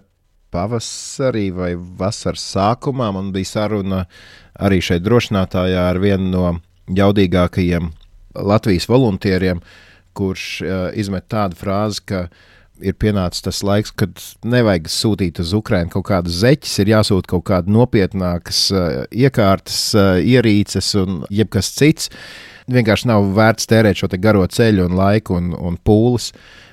pavasarī vai vasaras sākumā man bija saruna arī šeit drošinātājā ar vienu no jaudīgākajiem Latvijas voluntieriem, kurš uh, izmet tādu frāzi, ka ir pienācis tas laiks, kad nevajag sūtīt uz Ukrainu kaut kādas zeķes, ir jāsūt kaut kāda nopietnākas uh, iekārtas, uh, ierīces un jebkas cits. Vienkārši nav vērts tērēt šo te garo ceļu un laiku un, un pūles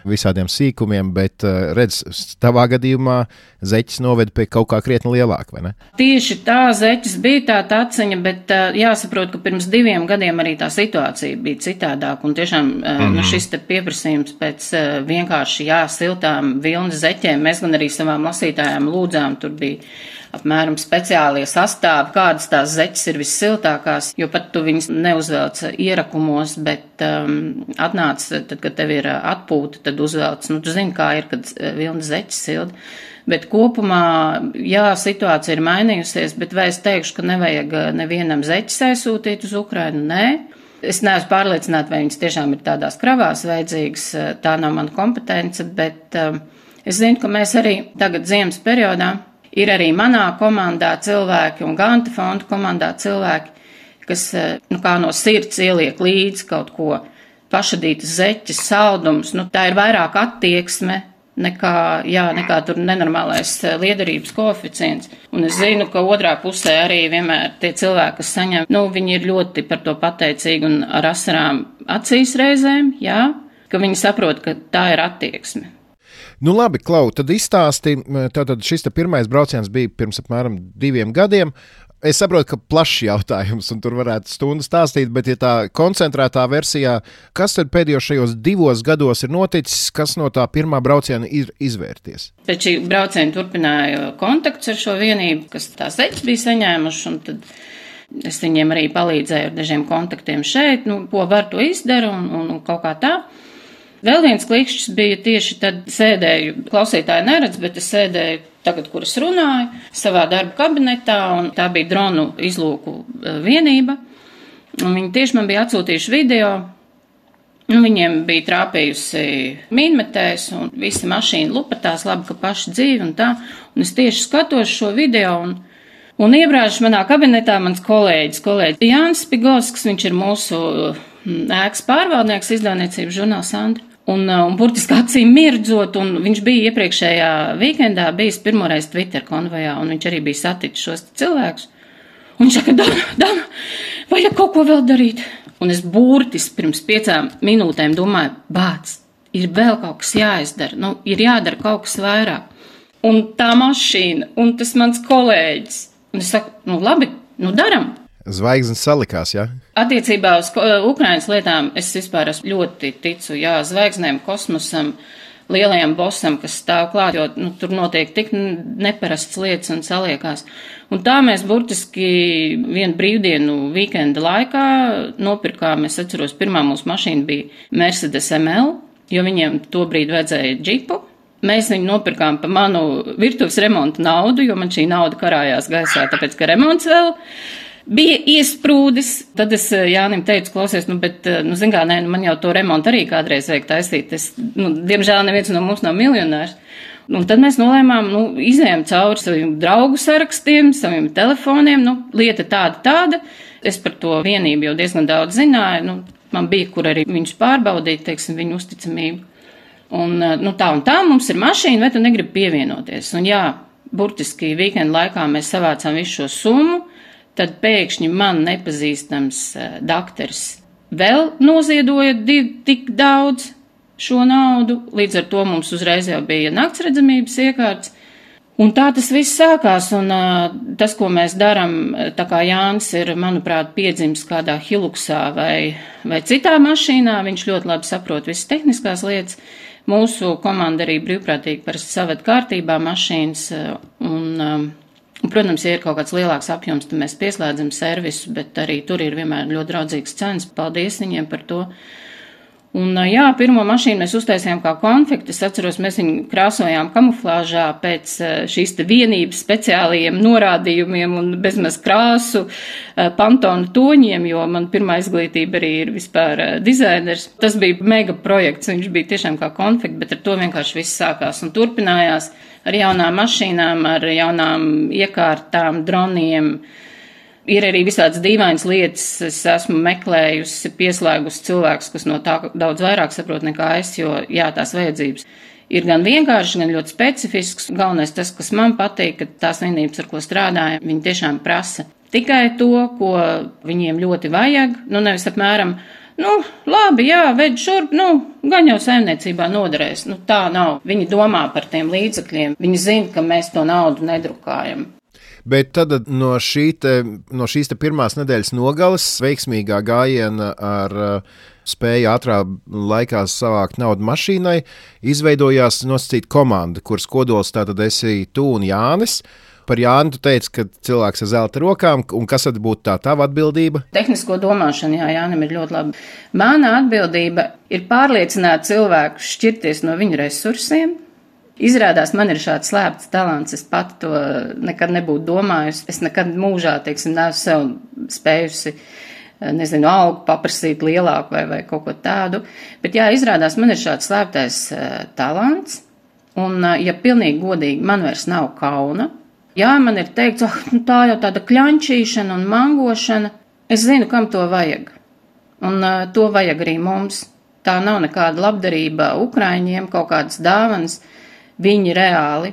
visādiem sīkumiem, bet uh, redz, tavā gadījumā zeķes noved pie kaut kā krietni lielāka, vai ne? Tieši tā zeķes bija tā taciņa, bet uh, jāsaprot, ka pirms diviem gadiem arī tā situācija bija citādāk, un tiešām uh, mm-hmm. nu, šis te pieprasījums pēc uh, vienkārši jā, siltām vilnas zeķēm, mēs gan arī savām lasītājām lūdzām, tur bija apmēram speciālie sastāvi, kādas tās zeķes ir vissiltākās, jo pat tu viņas neuzvelc ierakumos, bet um, atnāc, tad, kad tev ir atpūta, tad uzvelc, nu, tu zini, kā ir, kad vilnas zeķes silda. Bet kopumā, jā, situācija ir mainījusies, bet vai es teikšu, ka nevajag nevienam zeķes aizsūtīt uz Ukrainu? Nē. Es neesmu pārliecināta, vai viņas tiešām ir tādās kravās vajadzīgas, tā nav mana kompetence, bet um, es zinu, ka mēs arī tagad ziemas periodā ir arī manā komandā cilvēki un Ganta fonda komandā cilvēki, kas nu, kā no sirds ieliek līdzi kaut ko, pašadītas zeķes, saldums. Nu, tā ir vairāk attieksme nekā, jā, nekā tur nenormālais liederības koeficients. Un es zinu, ka otrā pusē arī vienmēr tie cilvēki, kas saņem, nu, viņi ir ļoti par to pateicīgi un ar asarām acīs reizēm, jā, ka viņi saprot, ka tā ir attieksme. Nu labi, Klau, tad izstāsti, tātad šis te pirmais brauciens bija pirms apmēram diviem gadiem. Es saprotu, ka plašs jautājums, un tur varētu stundu stāstīt, bet ja tā koncentrētā versijā, kas tad pēdējos šajos divos gados ir noticis, kas no tā pirmā brauciena ir izvērties? Pēc šī brauciena turpināja kontakts ar šo vienību, kas tās zeķes bija saņēmuši, un tad es viņiem arī palīdzēju ar dažiem kontaktiem šeit, nu, ko var to izdara un, un, un kaut kā tā. Vēl viens klikšķis bija tieši tad sēdēju, klausītāji neredz, bet es sēdēju tagad, kur es runāju, savā darba kabinetā, un tā bija dronu izlūku vienība. Un viņi tieši man bija atsūtījuši video, un viņiem bija trāpījusi mīnmetējs, un visa mašīna lupatās, labi, ka paši dzīvi un tā. Un es tieši skatos šo video, un, un iebrāžu manā kabinetā mans kolēģis, kolēģis Jānis Pigovskis, viņš ir mūsu ēkas pārvaldnieks, izdevniecības žurnāls Andra. Un, un burtiski acīm mirdzot, un viņš bija iepriekšējā vīkendā bijis pirmoreiz Twitter konvojā, un viņš arī bija saticis šos cilvēkus. Un viņš saka, Dana, Dana, vajag kaut ko vēl darīt. Un es burtiski pirms piecām minūtēm domāju, bāc, ir vēl kaut kas jāizdara, nu, ir jādara kaut kas vairāk. Un tā mašīna, un tas mans kolēģis. Un es saku, nu labi, nu daram. Zvaigznes salikās, jā? Ja? Attiecībā uz Ukrainas lietām es vispār esmu ļoti ticu, jā, zvaigznēm, kosmosam, lielajam bosam, kas stāv klāt, jo nu, tur notiek tik neparasts lietas un saliekās. Un tā mēs burtiski vienu brīvdienu vīkenda laikā nopirkām, es atceros, pirmā mūsu mašīna bija Mercedes M L, jo viņiem tobrīd vajadzēja džipu. Mēs viņu nopirkām pa manu virtuves remonta naudu, jo man šī nauda karājās gaisā, tāpēc, ka remonts vēl bija iesprūdis. Tad es Jānim teicu, klausies, nu, bet, nu, zin kā, nē, nu, man jau to remontu arī kādreiz vajag taisīt. Es, nu, diemžēl neviens no mums nav miljonārs. Un tad mēs nolēmām, nu, izējām cauri saviem draugu sarakstiem, saviem telefoniem, nu, lieta tāda, tāda. Es par to vienību jau diezgan daudz zināju, nu, man bija, kur arī viņus pārbaudīt, teiksim, viņu uzticamību. Un, nu, tā un tā, mums ir mašīna, vai tu negribi pievienoties? Un jā, burtiski vīkenda laikā mēs savācām visu šo summu. Tad pēkšņi man nepazīstams uh, dakteris vēl noziedoja div, tik daudz šo naudu, līdz ar to mums uzreiz jau bija naktsredzamības iekārts. Un tā tas viss sākās, un uh, tas, ko mēs darām, tā kā Jānis ir, manuprāt, piedzimis kādā Hiluxā vai, vai citā mašīnā, viņš ļoti labi saprot visas tehniskās lietas. Mūsu komanda arī brīvprātīgi parasti saved kārtībā mašīnas, un, um, un, protams, ja ir kaut kāds lielāks apjoms, tad mēs pieslēdzam servisu, bet arī tur ir vienmēr ļoti draudzīgs cenas. Paldies viņiem par to. Un, jā, pirmo mašīnu mēs uztaisījām kā konfektu. Es atceros, mēs viņu krāsojām kamuflāžā pēc šīs te vienības speciālajiem norādījumiem un bezmaz krāsu pantonu toņiem, jo man pirmā izglītība arī ir vispār dizainers. Tas bija mega projekts, viņš bija tiešām kā konfekta, bet ar to vienkārši viss sākās un turpinājās ar jaunām mašīnām, ar jaunām iekārtām, droniem. Ir arī visādas dīvainas lietas, es esmu meklējusi, pieslēgusi cilvēkus, kas no tā daudz vairāk saprot nekā es, jo jā, tās vajadzības ir gan vienkārši, gan ļoti specifisks. Galvenais tas, kas man patīk, ka tās vienības, ar ko strādājam, viņi tiešām prasa tikai to, ko viņiem ļoti vajag, nu nevis apmēram, nu labi, jā, ved šurp, nu gan jau saimniecībā noderēs, nu tā nav. Viņi domā par tiem līdzekļiem, viņi zina, ka mēs to naudu nedrukājam. Bet tad no, šī te, no šīs te pirmās nedēļas nogales veiksmīgā gājiena ar uh, spēju ātrā laikā savākt naudu mašīnai izveidojās nosacīta komanda, kuras kodols tātad esi tu un Jānis. Par Jāni tu teici, ka cilvēks ar zelta rokām, un kas tad būtu tā tava atbildība? Tehnisko domāšanu, jā, Jānim ir ļoti labi. Mana atbildība ir pārliecināt cilvēku šķirties no viņu resursiem. Izrādās, man ir šāds slēpts talants, es pati to nekad nebūtu domājusi. Es nekad mūžā, teiksim, neesmu sev spējusi, nezinu, algu paprasīt lielāku vai, vai kaut ko tādu. Bet jā, izrādās, man ir šāds slēptais uh, talants, un, uh, ja pilnīgi godīgi, man vairs nav kauna. Jā, man ir teikts, oh, nu, tā jau tāda kļančīšana un mangošana. Es zinu, kam to vajag, un uh, to vajag arī mums. Tā nav nekāda labdarība Ukraiņiem, kaut kādas dāvanas. Viņi reāli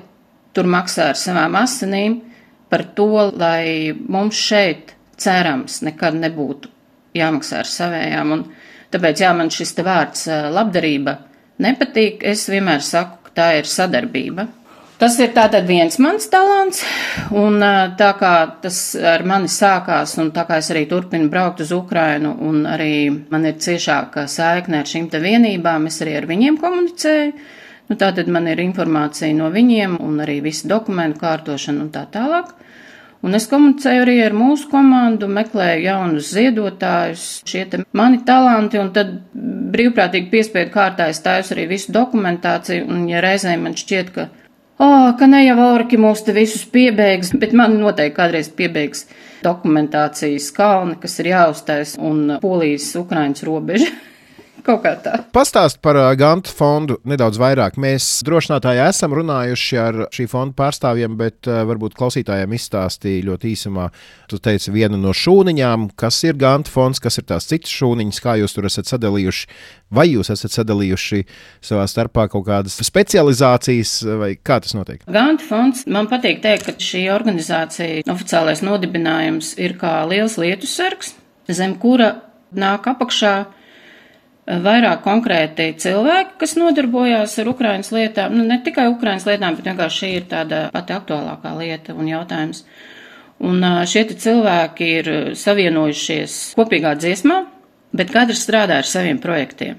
tur maksā ar savām asinīm par to, lai mums šeit, cerams, nekad nebūtu jāmaksā ar savējām. Un tāpēc, jā, man šis te vārds labdarība nepatīk. Es vienmēr saku, ka tā ir sadarbība. Tas ir tātad viens mans talants, un tā kā tas ar mani sākās, un tā kā es arī turpinu braukt uz Ukrainu, un arī man ir ciešāka saikne ar šīm te vienībām, es arī ar viņiem komunicēju. Nu, tātad man ir informācija no viņiem un arī visi dokumentu kārtošana un tā tālāk. Un es komunicēju arī ar mūsu komandu, meklēju jaunus ziedotājus, šie te mani talanti, un tad brīvprātīgi piespiedu kārtā es taisu arī visu dokumentāciju, un ja reizēm man šķiet, ka, oh, ka ne jau Orki mūs te visus piebeigs, bet man noteikti kādreiz piebeigs dokumentācijas kalni, kas ir jāuztais, un Polijas-Ukrainas robeža. Kaut kā tā. Pastāst par uh, Ganta fondu nedaudz vairāk. Mēs drošinātāji esam runājuši ar šī fonda pārstāvjiem, bet uh, varbūt klausītājiem izstāstīja ļoti īsumā. Tu teici vienu no šūniņām, kas ir Ganta fonds, kas ir tās citas šūniņas, kā jūs tur esat sadalījuši, vai jūs esat sadalījuši savā starpā kaut kādas specializācijas, vai kā tas notiek? Ganta fonds, man patīk teikt, ka šī organizācija, oficiālais nodibinājums ir kā liels lietusargs, zem kura nāk apakšā vairāk konkrēti cilvēki, kas nodarbojās ar Ukrainas lietām, nu ne tikai Ukrainas lietām, bet vienkārši šī ir tāda pati aktuālākā lieta un jautājums. Un šie cilvēki ir savienojušies kopīgā dziesmā, bet katrs strādā ar saviem projektiem.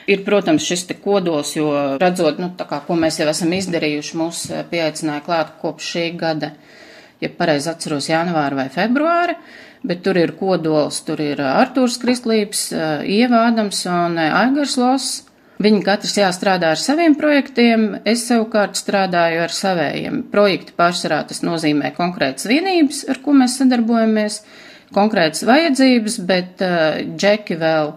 Ir, protams, šis te kodols, jo redzot, nu tā kā, ko mēs jau esam izdarījuši, mūs pieaicināja klāt kopš šī gada, ja pareizi atceros, janvāra vai februāra. Bet tur ir kodols, tur ir Artūrs Kristlības, Ieva Ādams un Aigars Loss. Viņi katrs jāstrādā ar saviem projektiem, es savukārt strādāju ar savējiem. Projekti pārsvarā tas nozīmē konkrētas vienības, ar ko mēs sadarbojamies, konkrētas vajadzības, bet uh, džeki vēl,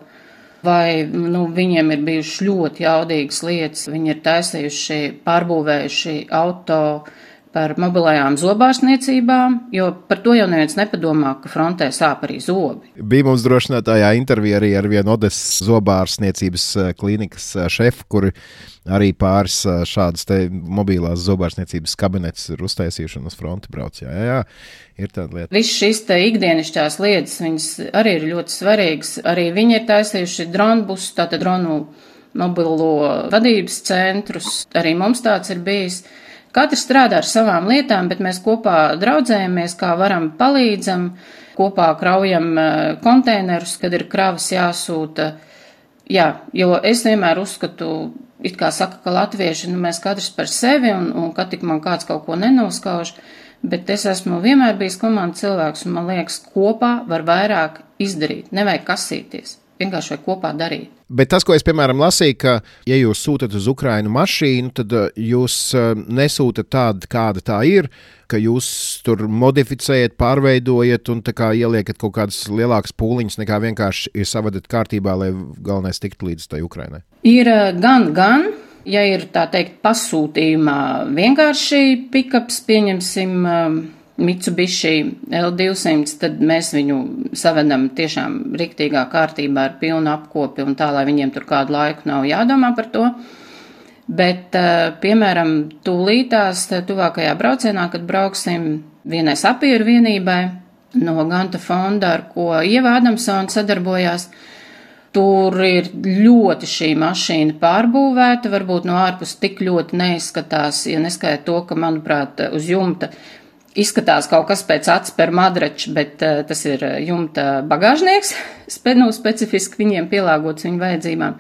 vai nu, viņiem ir bijušas ļoti jaudīgas lietas, viņi ir taisījuši, pārbūvējuši auto, par mobilajām zobārstniecībām, jo par to jau neviens nepadomā, ka frontē sāp arī zobi. Bija mums drošinātājā intervija arī ar vienu Odesas zobārstniecības klīnikas šefu, kuri arī pāris šādas te mobilās zobārstniecības kabinetes ir uztaisījuši un uz fronti brauc. Jā, jā, jā, ir tāda lieta. Viss šīs te ikdienišķās lietas, viņas arī ir ļoti svarīgas. Arī viņi ir taisījuši dronbus, tātad dronu mobilo vadības centrus, arī mums tāds ir bijis. Katrs strādā ar savām lietām, bet mēs kopā draudzējamies, kā varam palīdzam, kopā kraujam konteinerus, kad ir kravas jāsūta. Jā, jo es vienmēr uzskatu, it kā saka, ka latvieši, nu mēs katrs par sevi un, un kad tik man kāds kaut ko nenoskauž, bet es esmu vienmēr bijis komandas cilvēks un man liekas, kopā var vairāk izdarīt, nevajag kasīties. Vienkārši vai kopā darīt. Bet tas, ko es, piemēram, lasīju, ka, ja jūs sūtat uz Ukrainu mašīnu, tad jūs nesūtat tādu, kāda tā ir, ka jūs tur modificējat, pārveidojat un tā kā ieliekat kaut kādas lielākas pūliņas, nekā vienkārši ir savadat kārtībā, lai galvenais tiktu līdz tai Ukrainai. Ir gan, gan, ja ir tā teikt pasūtījumā vienkārši pikaps, pieņemsim Mitsubishi L divsimt, tad mēs viņu savedam tiešām riktīgā kārtībā ar pilnu apkopi un tā, lai viņiem tur kādu laiku nav jādomā par to. Bet, piemēram, tūlītās tuvākajā braucienā, kad brauksim vienai sapieru vienībai no Ganta fonda, ar ko Ieva Adamsona sadarbojās, tur ir ļoti šī mašīna pārbūvēta, varbūt no ārpus tik ļoti neizskatās, ja neskaita to, ka, manuprāt, uz jumta izskatās kaut kas pēc atspēr madrača, bet uh, tas ir jumta bagāžnieks, nu, specifiski viņiem pielāgots viņu vajadzībām.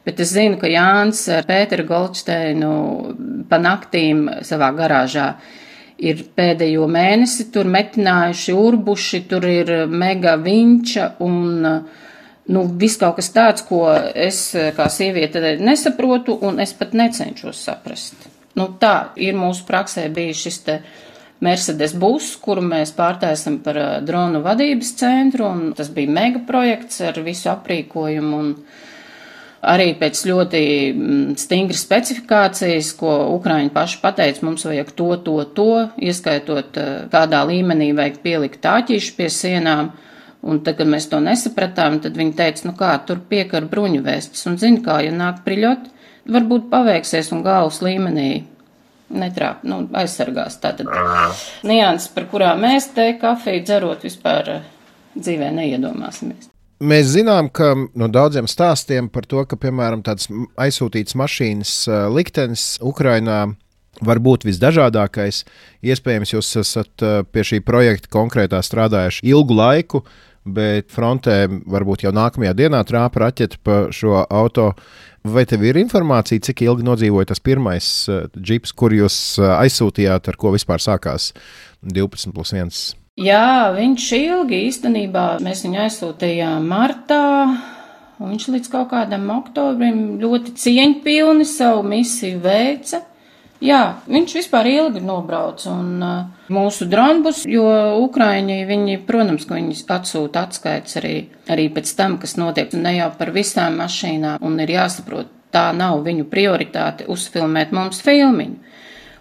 Bet es zinu, ka Jānis ar Pēteru Goldsteinu pa naktīm savā garāžā ir pēdējo mēnesi tur metinājuši, urbuši, tur ir mega vinča un nu, viss kaut kas tāds, ko es kā sieviete nesaprotu un es pat necenšos saprast. Nu, tā ir mūsu praksē bijis šis te Mercedes bus, kuru mēs pārtaisam par dronu vadības centru, un tas bija mega projekts ar visu aprīkojumu un arī pēc ļoti stingras specifikācijas, ko Ukraiņi paši pateica, mums vajag to, to, to, ieskaitot kādā līmenī vajag pielikt tāķīšu pie sienām, un tad, kad mēs to nesapratām, tad viņi teica, nu kā, tur piekar bruņu vēstis, un zini kā, ja nāk priļot, varbūt paveiksies un galvas līmenī netrāp, nu, aizsargās. Tātad nianses, par kurām mēs te kafiju dzerot vispār dzīvē neiedomāsimies. Mēs zinām, ka no daudziem stāstiem par to, ka, piemēram, tāds aizsūtīts mašīnas liktenis Ukrainā var būt visdažādākais. Iespējams, jūs esat pie šī projekta konkrētā strādājuši ilgu laiku, bet frontē varbūt jau nākamajā dienā trāpa raķete pa šo auto. Vai tev ir informācija, cik ilgi nodzīvoja tas pirmais uh, džips, kur jūs uh, aizsūtījāt, ar ko vispār sākās divpadsmit plus viens? Jā, viņš ilgi īstenībā, mēs viņu aizsūtījām martā, un viņš līdz kaut kādam oktobrim ļoti cieņpilni savu misiju veica. Jā, viņš vispār ilgi nobrauc un uh, mūsu dronbus, jo Ukraiņi, viņi, protams, ka viņi atsūta atskaits arī, arī pēc tam, kas notiek, ne jau par visām mašīnām, un ir jāsaprot, tā nav viņu prioritāte uzfilmēt mums filmiņu.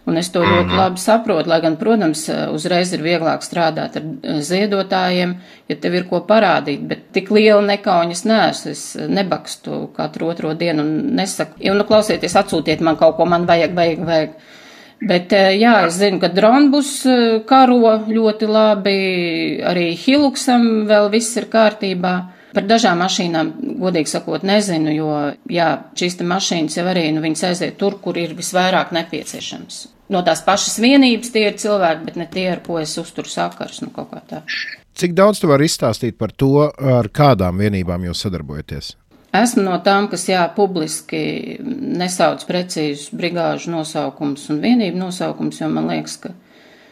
Un es to ļoti labi saprotu, lai gan, protams, uzreiz ir vieglāk strādāt ar ziedotājiem, ja tev ir ko parādīt, bet tik liela nekauņas neesmu, es nebakstu katru otro dienu un nesaku, jo, nu, klausieties, atsūtiet man kaut ko, man vajag, vajag, vajag. Bet, jā, es zinu, ka dronbus karo ļoti labi, arī Hiluxam vēl viss ir kārtībā. Par dažām mašīnām, godīgi sakot, nezinu, jo, jā, šīs te mašīnas jau arī, nu, viņas aiziet tur, kur ir visvairāk nepieciešams. No tās pašas vienības tie ir cilvēki, bet ne tie, ar ko es uzturu sakars, nu, kaut kā tā. Cik daudz tu vari izstāstīt par to, ar kādām vienībām jūs sadarbojaties? Esmu no tām, kas, jā, publiski nesauc precīzus brigāžu nosaukums un vienību nosaukums, jo man liekas, ka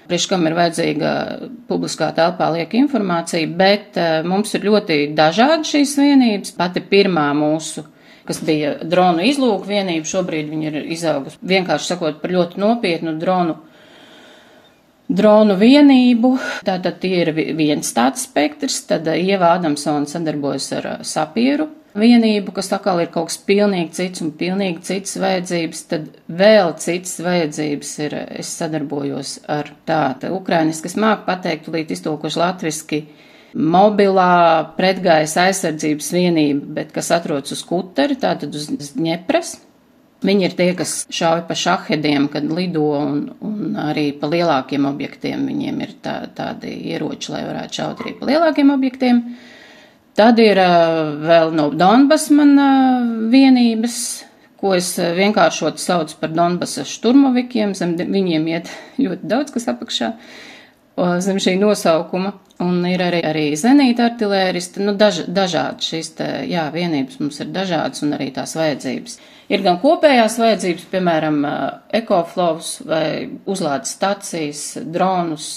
priekš kam ir vajadzīga publiskā telpā lieka informācija, bet uh, mums ir ļoti dažādi šīs vienības. Pati pirmā mūsu, kas bija dronu izlūku vienība, šobrīd viņa ir izaugusi, vienkārši sakot, par ļoti nopietnu dronu, dronu vienību. Tātad tie ir viens tāds spektrs, tad Ieva Adamsona sadarbojas ar uh, sapieru vienību, kas atkal ir kaut kas pilnīgi cits un pilnīgi cits vajadzības, tad vēl cits vajadzības ir, es sadarbojos ar tādu ukrainis, kas māk pateikt, līdz iztulkoši latviski, mobilā pretgaisa aizsardzības vienība, bet kas atrodas uz Kuteri, tātad uz Ņepres. Viņi ir tie, kas šauj pa šahediem, kad lido, un, un arī pa lielākiem objektiem viņiem ir tā, tādi ieroči, lai varētu šaut arī pa lielākiem objektiem. Tad ir uh, vēl no Donbas man uh, vienības, ko es vienkāršot saucu par Donbasa šturmovikiem, zem viņiem iet ļoti daudz, kas apakšā zem šī nosaukuma, un ir arī, arī zenīta artilēristi, nu daž, dažādi šīs te, jā, vienības mums ir dažādas un arī tās vajadzības. Ir gan kopējās vajadzības, piemēram, ekoflovs vai uzlādes stacijas, dronus,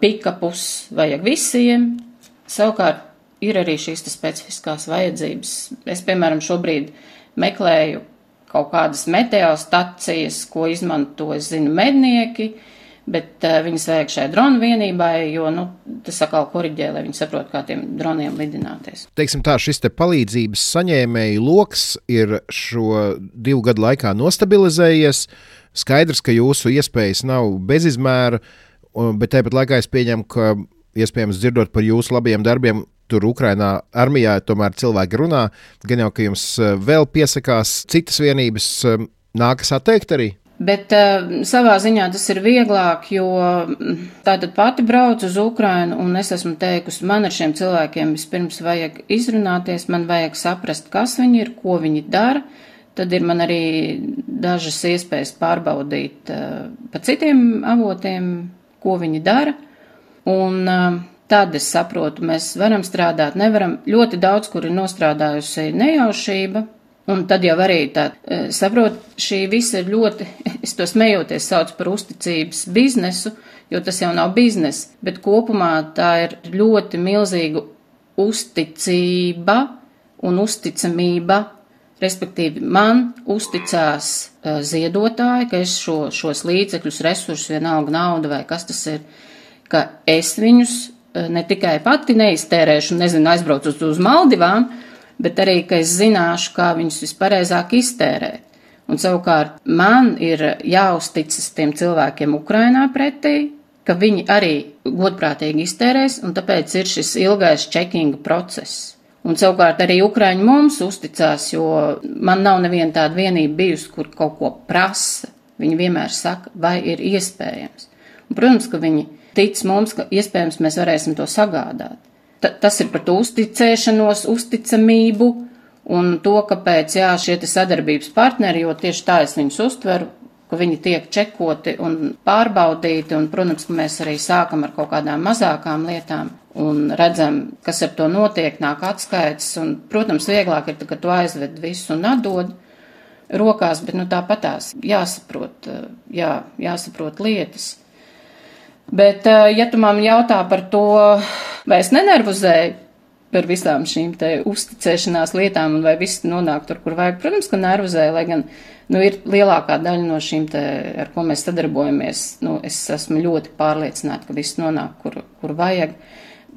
pikapus vajag visiem, savukārt ir arī šīs te specifiskās vajadzības. Es, piemēram, šobrīd meklēju kaut kādas meteostacijas, ko izmanto, es zinu, mednieki, bet uh, viņas vajag šai dronu vienībai, jo, nu, tas atkal koriģē, lai viņi saprot, kā tiem droniem lidināties. Teiksim tā, šis te palīdzības saņēmēju loks ir šo divu gadu laikā nostabilizējies. Skaidrs, ka jūsu iespējas nav bezizmēra, bet tāpat laikā es pieņemu, ka iespējams dzirdot par jūsu labajiem darbiem, tur Ukrainā armijā tomēr cilvēki runā, gan jau, ka jums vēl piesakās citas vienības, nākas atteikt arī? Bet uh, savā ziņā tas ir vieglāk, jo tātad pati braucu uz Ukrainu un es esmu teikusi, man ar šiem cilvēkiem vispirms vajag izrunāties, man vajag saprast, kas viņi ir, ko viņi dara, tad ir man arī dažas iespējas pārbaudīt uh, pa citiem avotiem, ko viņi dara, un uh, tad es saprotu, mēs varam strādāt, nevaram, ļoti daudz, kur ir nostrādājusi nejaušība, un tad jau arī tā, saprot, šī visa ir ļoti, es to smejoties saucu par uzticības biznesu, jo tas jau nav biznes, bet kopumā tā ir ļoti milzīga uzticība un uzticamība, respektīvi man uzticās ziedotāji, ka es šo, šos līdzekļus, resursus, vienalga nauda vai kas tas ir, ka es viņus ne tikai pati neiztērēšu, nezinu, aizbraucu uz, uz Maldivām, bet arī, ka es zināšu, kā viņus vispareizāk iztērēt. Un savukārt man ir jāuzticas tiem cilvēkiem Ukrainā pretī, ka viņi arī godprātīgi iztērēs, un tāpēc ir šis ilgais čekinga process. Un savukārt arī Ukraiņi mums uzticās, jo man nav neviena tāda vienība bijusi, kur kaut ko prasa. Viņi vienmēr saka, vai ir iespējams. Un, protams, ka viņi tic mums, ka iespējams mēs varēsim to sagādāt. Tas ir par to uzticēšanos, uzticamību un to, kāpēc, jā, šie te sadarbības partneri, jo tieši tā es viņus uztveru, ka viņi tiek čekoti un pārbaudīti, un, protams, ka mēs arī sākam ar kaut kādām mazākām lietām un redzam, kas ar to notiek, nāk atskaites, un, protams, vieglāk ir, kad tu aizved visu un atdod rokās, bet, nu, tāpatās jāsaprot, jā, jāsaprot lietas. Bet, ja tu man jautā par to, vai es nenervozēju par visām šīm te uzticēšanās lietām un vai viss nonāk tur, kur vajag, protams, ka nervozēju, lai gan, nu, ir lielākā daļa no šīm te, ar ko mēs sadarbojamies, nu, es esmu ļoti pārliecināta, ka viss nonāk, kur, kur vajag.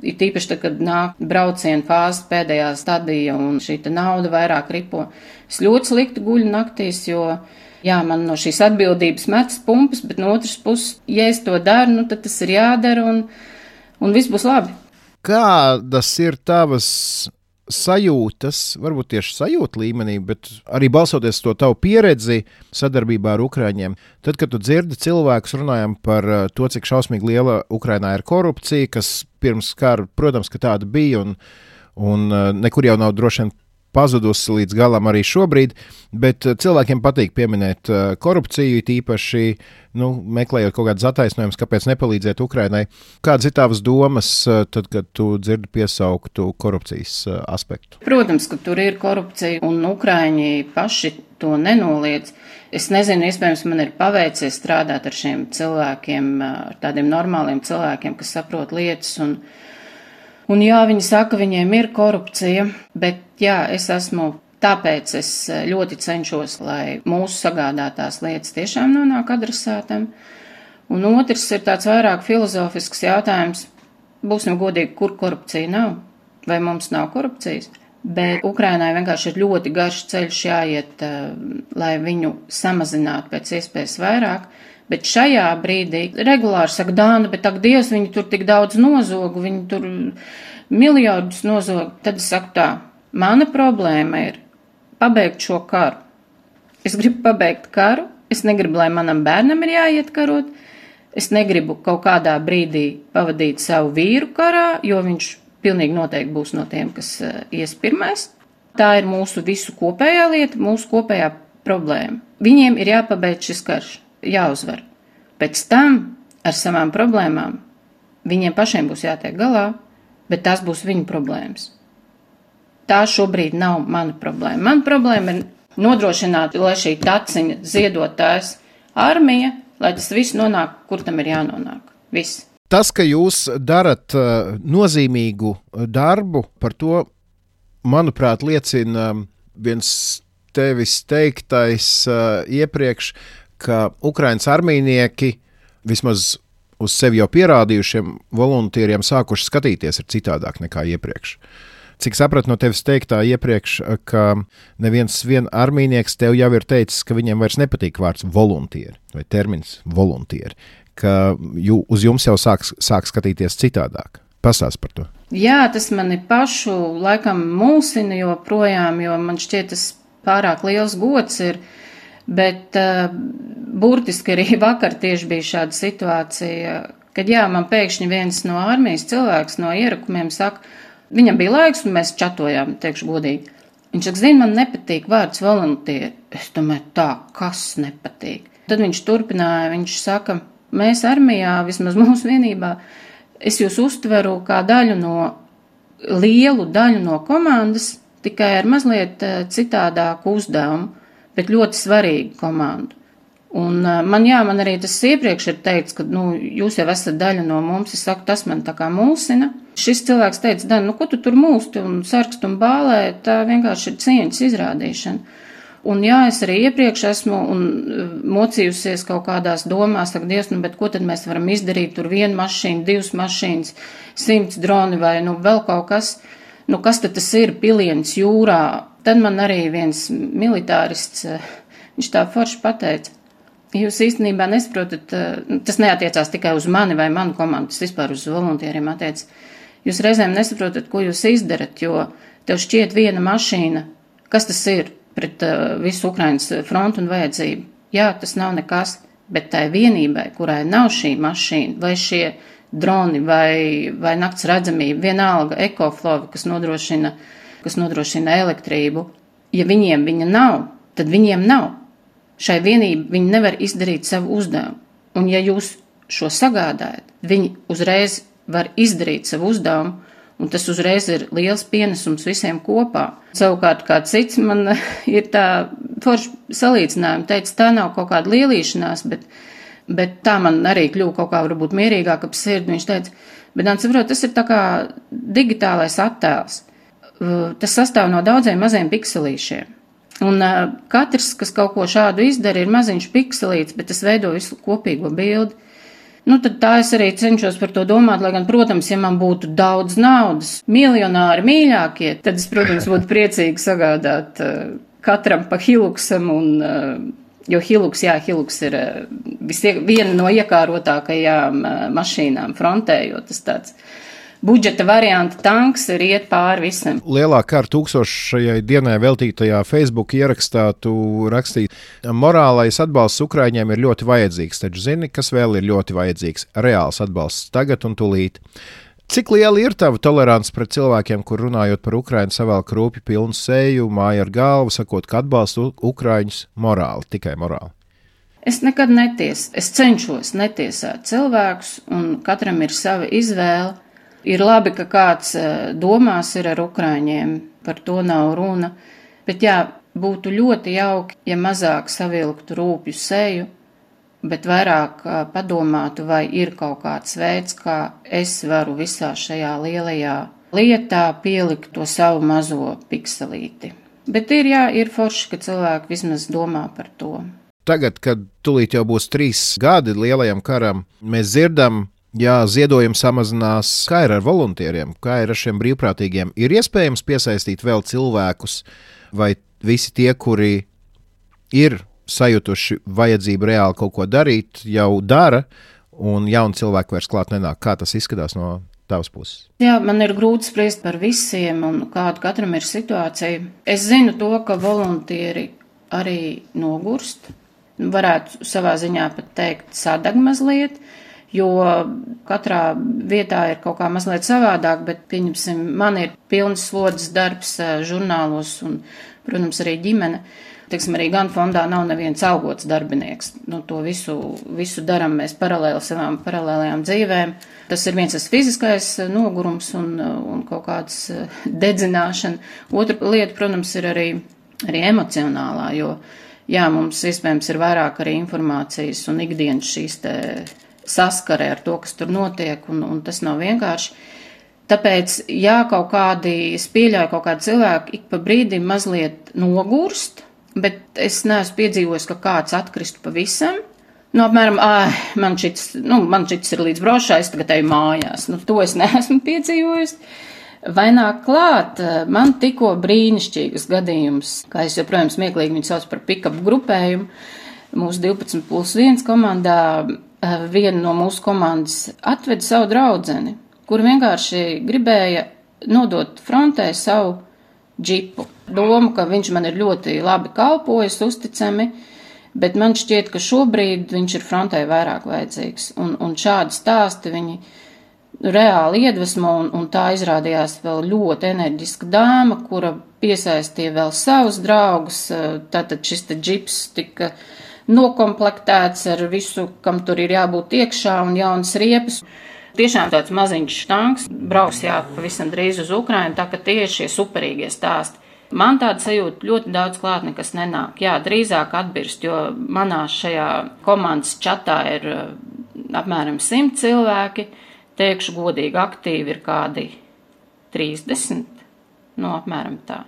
Ir tīpaši, tad, kad nāk brauciena fāze pēdējā stadija un šī te nauda vairāk ripo, es ļoti slikti guļu naktīs, jo jā, man no šīs atbildības metas pumpas, bet no otras puses, ja es to daru, nu, tad tas ir jādara un, un viss būs labi. Kādas ir tavas sajūtas, varbūt tieši sajūta līmenī, bet arī balsoties to tavu pieredzi sadarbībā ar Ukraiņiem, tad, kad tu dzirdi cilvēkus, runājam par to, cik šausmīgi liela Ukrainā ir korupcija, kas pirms kara, protams, ka tāda bija un, un nekur jau nav droši vien pazudusi līdz galam arī šobrīd, bet cilvēkiem patīk pieminēt korupciju, tīpaši, nu, meklējot kaut kādas attaisnojumus, kāpēc nepalīdzēt Ukrainai. Kādas ir tavas domas, tad, kad tu dzirdi piesauktu korupcijas aspektu? Protams, ka tur ir korupcija, un Ukraiņi paši to nenoliedz. Es nezinu, iespējams, man ir paveicies strādāt ar šiem cilvēkiem, ar tādiem normāliem cilvēkiem, kas saprot lietas, un Un jā, viņi saka, viņiem ir korupcija, bet jā, es esmu, tāpēc es ļoti cenšos, lai mūsu sagādātās lietas tiešām nonāk adresātam. Un otrs ir tāds vairāk filozofisks jautājums, būsim godīgi, kur korupcija nav, vai mums nav korupcijas. Bet Ukrainai vienkārši ir ļoti garš ceļš jāiet, lai viņu samazinātu pēc iespējas vairāk. Bet šajā brīdī regulāri saka, Dāna, bet ak, Dievs, viņi tur tik daudz nozogu, viņi tur miljardus nozogu. Tad es saku tā, mana problēma ir pabeigt šo karu. Es gribu pabeigt karu, es negribu, lai manam bērnam ir jāiet karot, es negribu kaut kādā brīdī pavadīt savu vīru karā, jo viņš pilnīgi noteikti būs no tiem, kas ies pirmais. Tā ir mūsu visu kopējā lieta, mūsu kopējā problēma. Viņiem ir jāpabeidz šis karš, jāuzvar. Pēc tam ar savām problēmām viņiem pašiem būs jātiek galā, bet tās būs viņu problēmas. Tā šobrīd nav mana problēma. Mana problēma ir nodrošināt, lai šī taciņa ziedotājs armija, lai tas viss nonāk, kur tam ir jānonāk. Viss. Tas, ka jūs darat uh, nozīmīgu darbu, par to, manuprāt, liecina viens tevis teiktais uh, iepriekš, ka Ukrainas armijnieki vismaz uz sevi jau pierādījušiem volontieriem sākuši skatīties ir citādāk nekā iepriekš. Cik sapratu no tevis teiktā iepriekš, ka neviens vien armijnieks tev jau ir teicis, ka viņiem vairs nepatīk vārds voluntieri vai termins voluntieri, ka jū, uz jums jau sāk, sāk skatīties citādāk. Pastāst par to. Jā, tas mani pašu laikam mulsina joprojām, jo man šķiet tas pārāk liels gods ir, bet uh, burtiski arī vakar tieši bija šāda situācija, kad jā, man pēkšņi viens no armijas cilvēks no ierakumiem saka, viņam bija laiks un mēs čatojām, teikšu godīgi. Viņš saka, zini, man nepatīk vārds voluntieri. Es domāju, tā, kas nepatīk? Tad viņš turpināja, viņš saka, mēs armijā, vismaz mūsu vienībā, es jūs uztveru kā daļu no, lielu daļu no komandas, tikai ar mazliet citādāku uzdevumu, bet ļoti svarīgu komandu. Un man, jā, man arī tas iepriekš ir teikts, ka, nu, jūs jau esat daļa no mums, es saku, tas man tā kā mulsina. Šis cilvēks teica, Dan, nu, ko tu tur mulsti un sarkst un bālē, tā vienkārši ir cieņas izrādīšana. Un jā, es arī iepriekš esmu un mocījusies kaut kādās domās, saka, Dievs, nu, bet ko tad mēs varam izdarīt, tur vienu mašīnu, divas mašīnas, simts droni vai, nu, vēl kaut kas, nu, kas tad tas ir, piliens jūrā. Tad man arī viens militārists, viņš tā forši pateica, jūs īstenībā nesaprotat, tas neatiecās tikai uz mani vai manu komandu, tas vispār uz volontieriem attiec. Jūs reizēm nesaprotat, ko jūs izdarat, jo tev šķiet viena mašīna, kas tas ir pret uh, visu Ukrainas frontu un vajadzību. Jā, tas nav nekas, bet tai vienībai, kurai nav šī mašīna, vai šie droni, vai, vai nakts redzamība, vienalga ekoflovi, kas nodrošina, kas nodrošina elektrību, ja viņiem viņa nav, tad viņiem nav. Šai vienībai viņi nevar izdarīt savu uzdevumu. Un ja jūs šo sagādājat, viņi uzreiz var izdarīt savu uzdevumu, un tas uzreiz ir liels pienesums visiem kopā. Savukārt kā cits man ir tā forši salīdzinājumi, teica, tā nav kaut kāda lielīšanās, bet, bet tā man arī kļuva kaut kā varbūt mierīgāk ap sirdi. Viņš teica, bet man saprot, tas ir tā kā digitālais attēls. Tas sastāv no daudziem maziem pikselīšiem. Un uh, katrs, kas kaut ko šādu izdara, ir maziņš pikselīts, bet tas veido visu kopīgo bildi. Nu, tad tā es arī cenšos par to domāt, lai gan, protams, ja man būtu daudz naudas, miljonāri mīļākie, tad es, protams, būtu priecīgi sagādāt uh, katram pa Hiluksam, un, uh, jo Hiluks, jā, Hiluks ir uh, visie, viena no iekārotākajām uh, mašīnām frontē, jo tas tāds budžeta varianta tanks ir iet pāri visam. Lielāk kārt tūkstošajai dienai veltītajā Facebook ierakstā tu rakstīji, morālais atbalsts Ukraiņiem ir ļoti vajadzīgs, taču zini, kas vēl ir ļoti vajadzīgs? Reāls atbalsts tagad un tūlīt. Cik liela ir tava tolerants pret cilvēkiem, kur runājot par Ukrainu savēl krūpju pilnu seju, māja ar galvu, sakot, ka atbalstu Ukraiņus morāli, tikai morāli? Es nekad netiesu. Es cenšos netiesāt cilvēkus, un katram ir sava izvēle. Ir labi, ka kāds domās ir ar Ukraiņiem, par to nav runa, bet jā, būtu ļoti jauki, ja mazāk savilktu rūpju seju, bet vairāk padomātu, vai ir kaut kāds veids, kā es varu visā šajā lielajā lietā pielikt to savu mazo pikselīti. Bet ir, jā, ir forši, ka cilvēki vismaz domā par to. Tagad, kad tūlīt jau būs trīs gadi lielajam karam, mēs dzirdam, jā, ziedojums samazinās. Kā ir ar volontieriem, kā ir ar šiem brīvprātīgiem? Ir iespējams piesaistīt vēl cilvēkus, vai visi tie, kuri ir sajutuši vajadzību reāli kaut ko darīt, jau dara, un jauni cilvēki vairs klāt nenāk? Kā tas izskatās no tavas puses? Jā, man ir grūti spriest par visiem, un kāda katram ir situācija. Es zinu to, ka volontieri arī nogurst, varētu savā ziņā pat teikt sadag mazliet, jo katrā vietā ir kaut kā mazliet savādāk, bet, pieņemsim, man ir pilns slodzes darbs žurnālos un, protams, arī ģimene. Teiksim, arī gan fondā nav neviens augots darbinieks. Nu, to visu, visu daram mēs paralēli savām paralēlajām dzīvēm. Tas ir viens tas fiziskais nogurums un, un kaut kāds dedzināšana. Otra lieta, protams, ir arī, arī emocionālā, jo, jā, mums iespējams ir vairāk arī informācijas un ikdienas šīs te saskarē ar to, kas tur notiek, un, un tas nav vienkārši. Tāpēc, jā, kaut kādi, es pieļauju, kaut kādi cilvēki ik pa brīdim mazliet nogurst, bet es neesmu piedzīvojis, ka kāds atkristu pavisam. Nu, apmēram, ā, man šits, nu, man šits ir līdz brošā, es tagad eju mājās. Nu, to es neesmu piedzīvojis. Vai nāk klāt, man tikko brīnišķīgas gadījums, kā es joprojām smieklīgi viņu sauc par pick-up grupējumu, mūsu divpadsmit plus viens komandā, viena no mūsu komandas atveda savu draudzeni, kur vienkārši gribēja nodot frontē savu džipu. Doma, ka viņš man ir ļoti labi kalpojis, uzticami, bet man šķiet, ka šobrīd viņš ir frontē vairāk vajadzīgs. Un, un šādi stāsti viņi reāli iedvesmo, un, un tā izrādījās vēl ļoti enerģiska dāma, kura piesaistīja vēl savus draugus. Tātad šis te džips tika nokomplektēts ar visu, kam tur ir jābūt iekšā, un jaunas riepas. Tiešām tāds maziņš štanks, brauks jā, pavisam drīz uz Ukrainu, tā ka tie ir šie superīgie stāsti. Man tāda sajūta ļoti daudz klāt nekas nenāk. Jā, drīzāk atbirst, jo manā šajā komandas čatā ir apmēram simt cilvēki, teikšu godīgi aktīvi ir kādi trīsdesmit, no apmēram tā.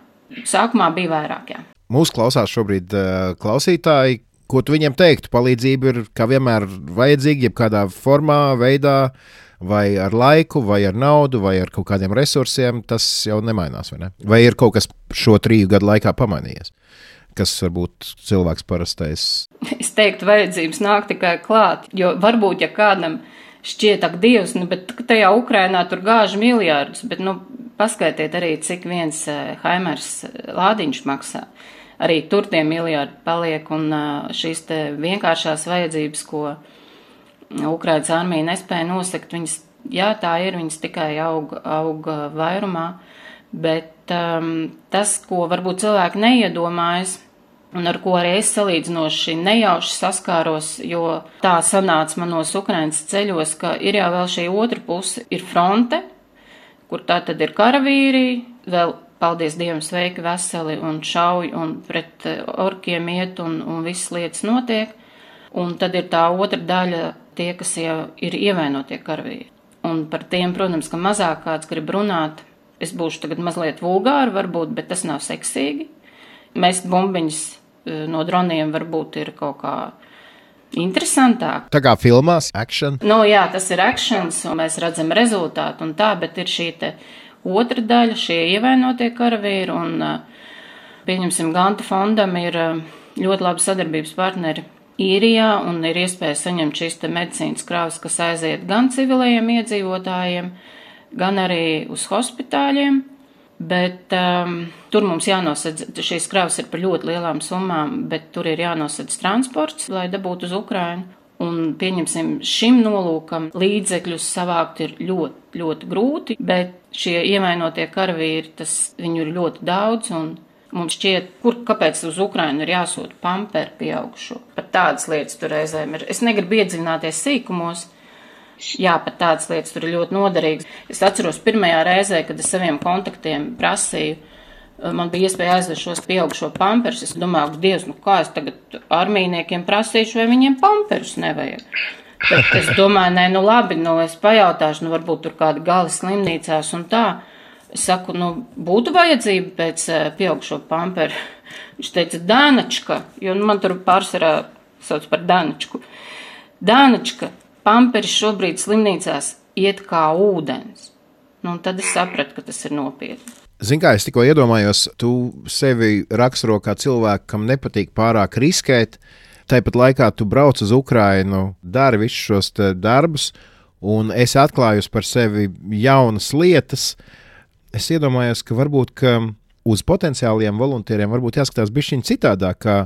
Sākumā bija vairāk, jā. Mūs klausās šobrīd uh, klausītāji, ko tu viņiem teiktu? Palīdzība ir kā vienmēr vajadzīga, jebkādā formā, veidā, vai ar laiku, vai ar naudu, vai ar kaut kādiem resursiem, tas jau nemainās, vai ne? Vai ir kaut kas šo triju gadu laikā pamainījies, kas varbūt cilvēks parastais? Es teiktu, vajadzības nāk tikai klāt, jo varbūt, ja kādam šķiet, ak, Dievs, nu, bet tajā Ukrainā tur gāž miljārdus, bet, nu, paskaitiet arī, cik viens Haimers lādiņš maksā. Arī tur tie miljārdi paliek, un šīs te vienkāršās vajadzības, ko Ukrainas armija nespēja nosekt, viņas, jā, tā ir, viņas tikai aug, aug vairumā, bet um, tas, ko varbūt cilvēki neiedomājas, un ar ko arī es salīdzinoši nejauši saskāros, jo tā sanāca manos Ukrainas ceļos, ka ir jau vēl šī otra puse, ir fronte, kur tā tad ir karavīri, vēl, paldies Dievam, sveiki, veseli un šauj un pret orkiem iet un, un visas lietas notiek. Un tad ir tā otra daļa, tie, kas jau ir ievainotie karavīri. Un par tiem, protams, ka mazāk kāds grib runāt. Es būšu tagad mazliet vulgāri varbūt, bet tas nav seksīgi. Mest bumbiņas no droniem varbūt ir kaut kā interesantāk. Tā kā filmās, action? Nu jā, tas ir actions, un mēs redzam rezultātu un tā, bet ir šī te otra daļa, šie ievainotie karavīri, un pieņemsim, Ganta fondam ir ļoti labi sadarbības partneri Īrijā, un ir iespēja saņemt šīs te medicīnas krāvas, kas aiziet gan civilajiem iedzīvotājiem, gan arī uz hospitāļiem, bet um, tur mums jānosedz, šīs krāvas ir par ļoti lielām summām, bet tur ir jānosedz transports, lai dabūtu uz Ukrainu. Un, pieņemsim, šim nolūkam līdzekļus savākt ir ļoti, ļoti grūti, bet šie ievainotie karavīri, tas viņu ir ļoti daudz, un mums šķiet, kur, kāpēc uz Ukrainu ir jāsūta pamperi pieaugušo. Pat tādas lietas tur reizēm ir. Es negribu iedziļināties sīkumos, jā, pat tādas lietas tur ir ļoti noderīgas. Es atceros pirmajā reizē, kad es saviem kontaktiem prasīju, man bija iespēja aizvest šos pieaugušo pamperus. Es domāju, ka Dievs, nu kā es tagad armijniekiem prasīšu, vai viņiem pamperus nevajag. Bet es domāju, nē, nu labi, nu es pajautāšu, nu varbūt tur kādi gali slimnīcās un tā. Es saku, nu būtu vajadzība pēc pieaugušo pamperu. Viņš teica, Dānačka, jo nu, man tur pārsvarā sauc par Dānačku. Dānačka, pamperi šobrīd slimnīcās iet kā ūdens. Nu un tad es sapratu, ka tas ir nopietni. Zini, kā es tikko iedomājos, tu sevi raksturo kā cilvēku, kam nepatīk pārāk riskēt, tāpat laikā tu brauc uz Ukrainu, dari visus šos darbus, un esi atklājusi par sevi jaunas lietas. Es iedomājos, ka varbūt ka uz potenciāliem volontieriem varbūt jāskatās bišķiņ citādāk, kā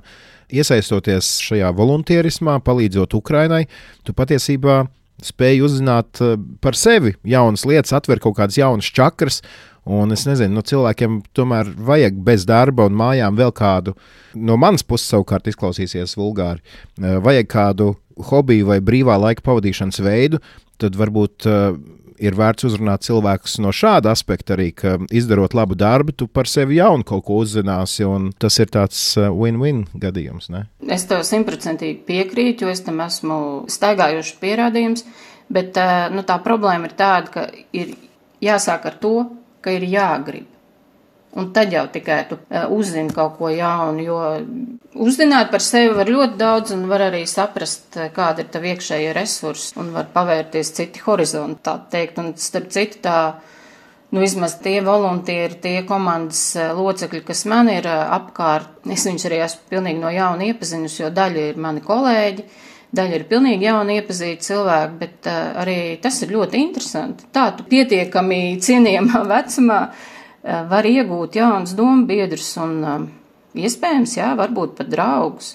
iesaistoties šajā volontierismā, palīdzot Ukrainai, tu patiesībā spēj uzzināt par sevi jaunas lietas, atver kaut kādas jaunas čakras. Un es nezinu, nu, cilvēkiem tomēr vajag bez darba un mājām vēl kādu, no manas puses savukārt izklausīsies vulgāri, vajag kādu hobiju vai brīvā laika pavadīšanas veidu, tad varbūt uh, ir vērts uzrunāt cilvēkus no šāda aspekta arī, ka izdarot labu darbu, tu par sevi jaunu kaut ko uzzināsi, un tas ir tāds uh, win-win gadījums, ne? Es tev simtprocentīgi piekrītu, jo es tam esmu staigājuši pierādījums, bet uh, nu, tā problēma ir tāda, ka ir jāsāk ar to, ka ir jāgrib. Un tad jau tikai tu uh, uzzini kaut ko jaunu, jo uzzināt par sevi var ļoti daudz un var arī saprast, kāda ir tavi iekšējie resursi un var pavērties citi horizonti, tā teikt. Un starp citu tā, nu vismaz tie voluntieri, tie komandas locekļi, kas man ir uh, apkārt, es viņus arī esmu pilnīgi no jauna iepazinusi, jo daļa ir mani kolēģi, daļa ir pilnīgi jauni iepazīti cilvēki, bet uh, arī tas ir ļoti interesanti. Tā tu pietiekami cienījamā vecumā uh, var iegūt jaunas domu biedrus un uh, iespējams, jā, varbūt pat draugus.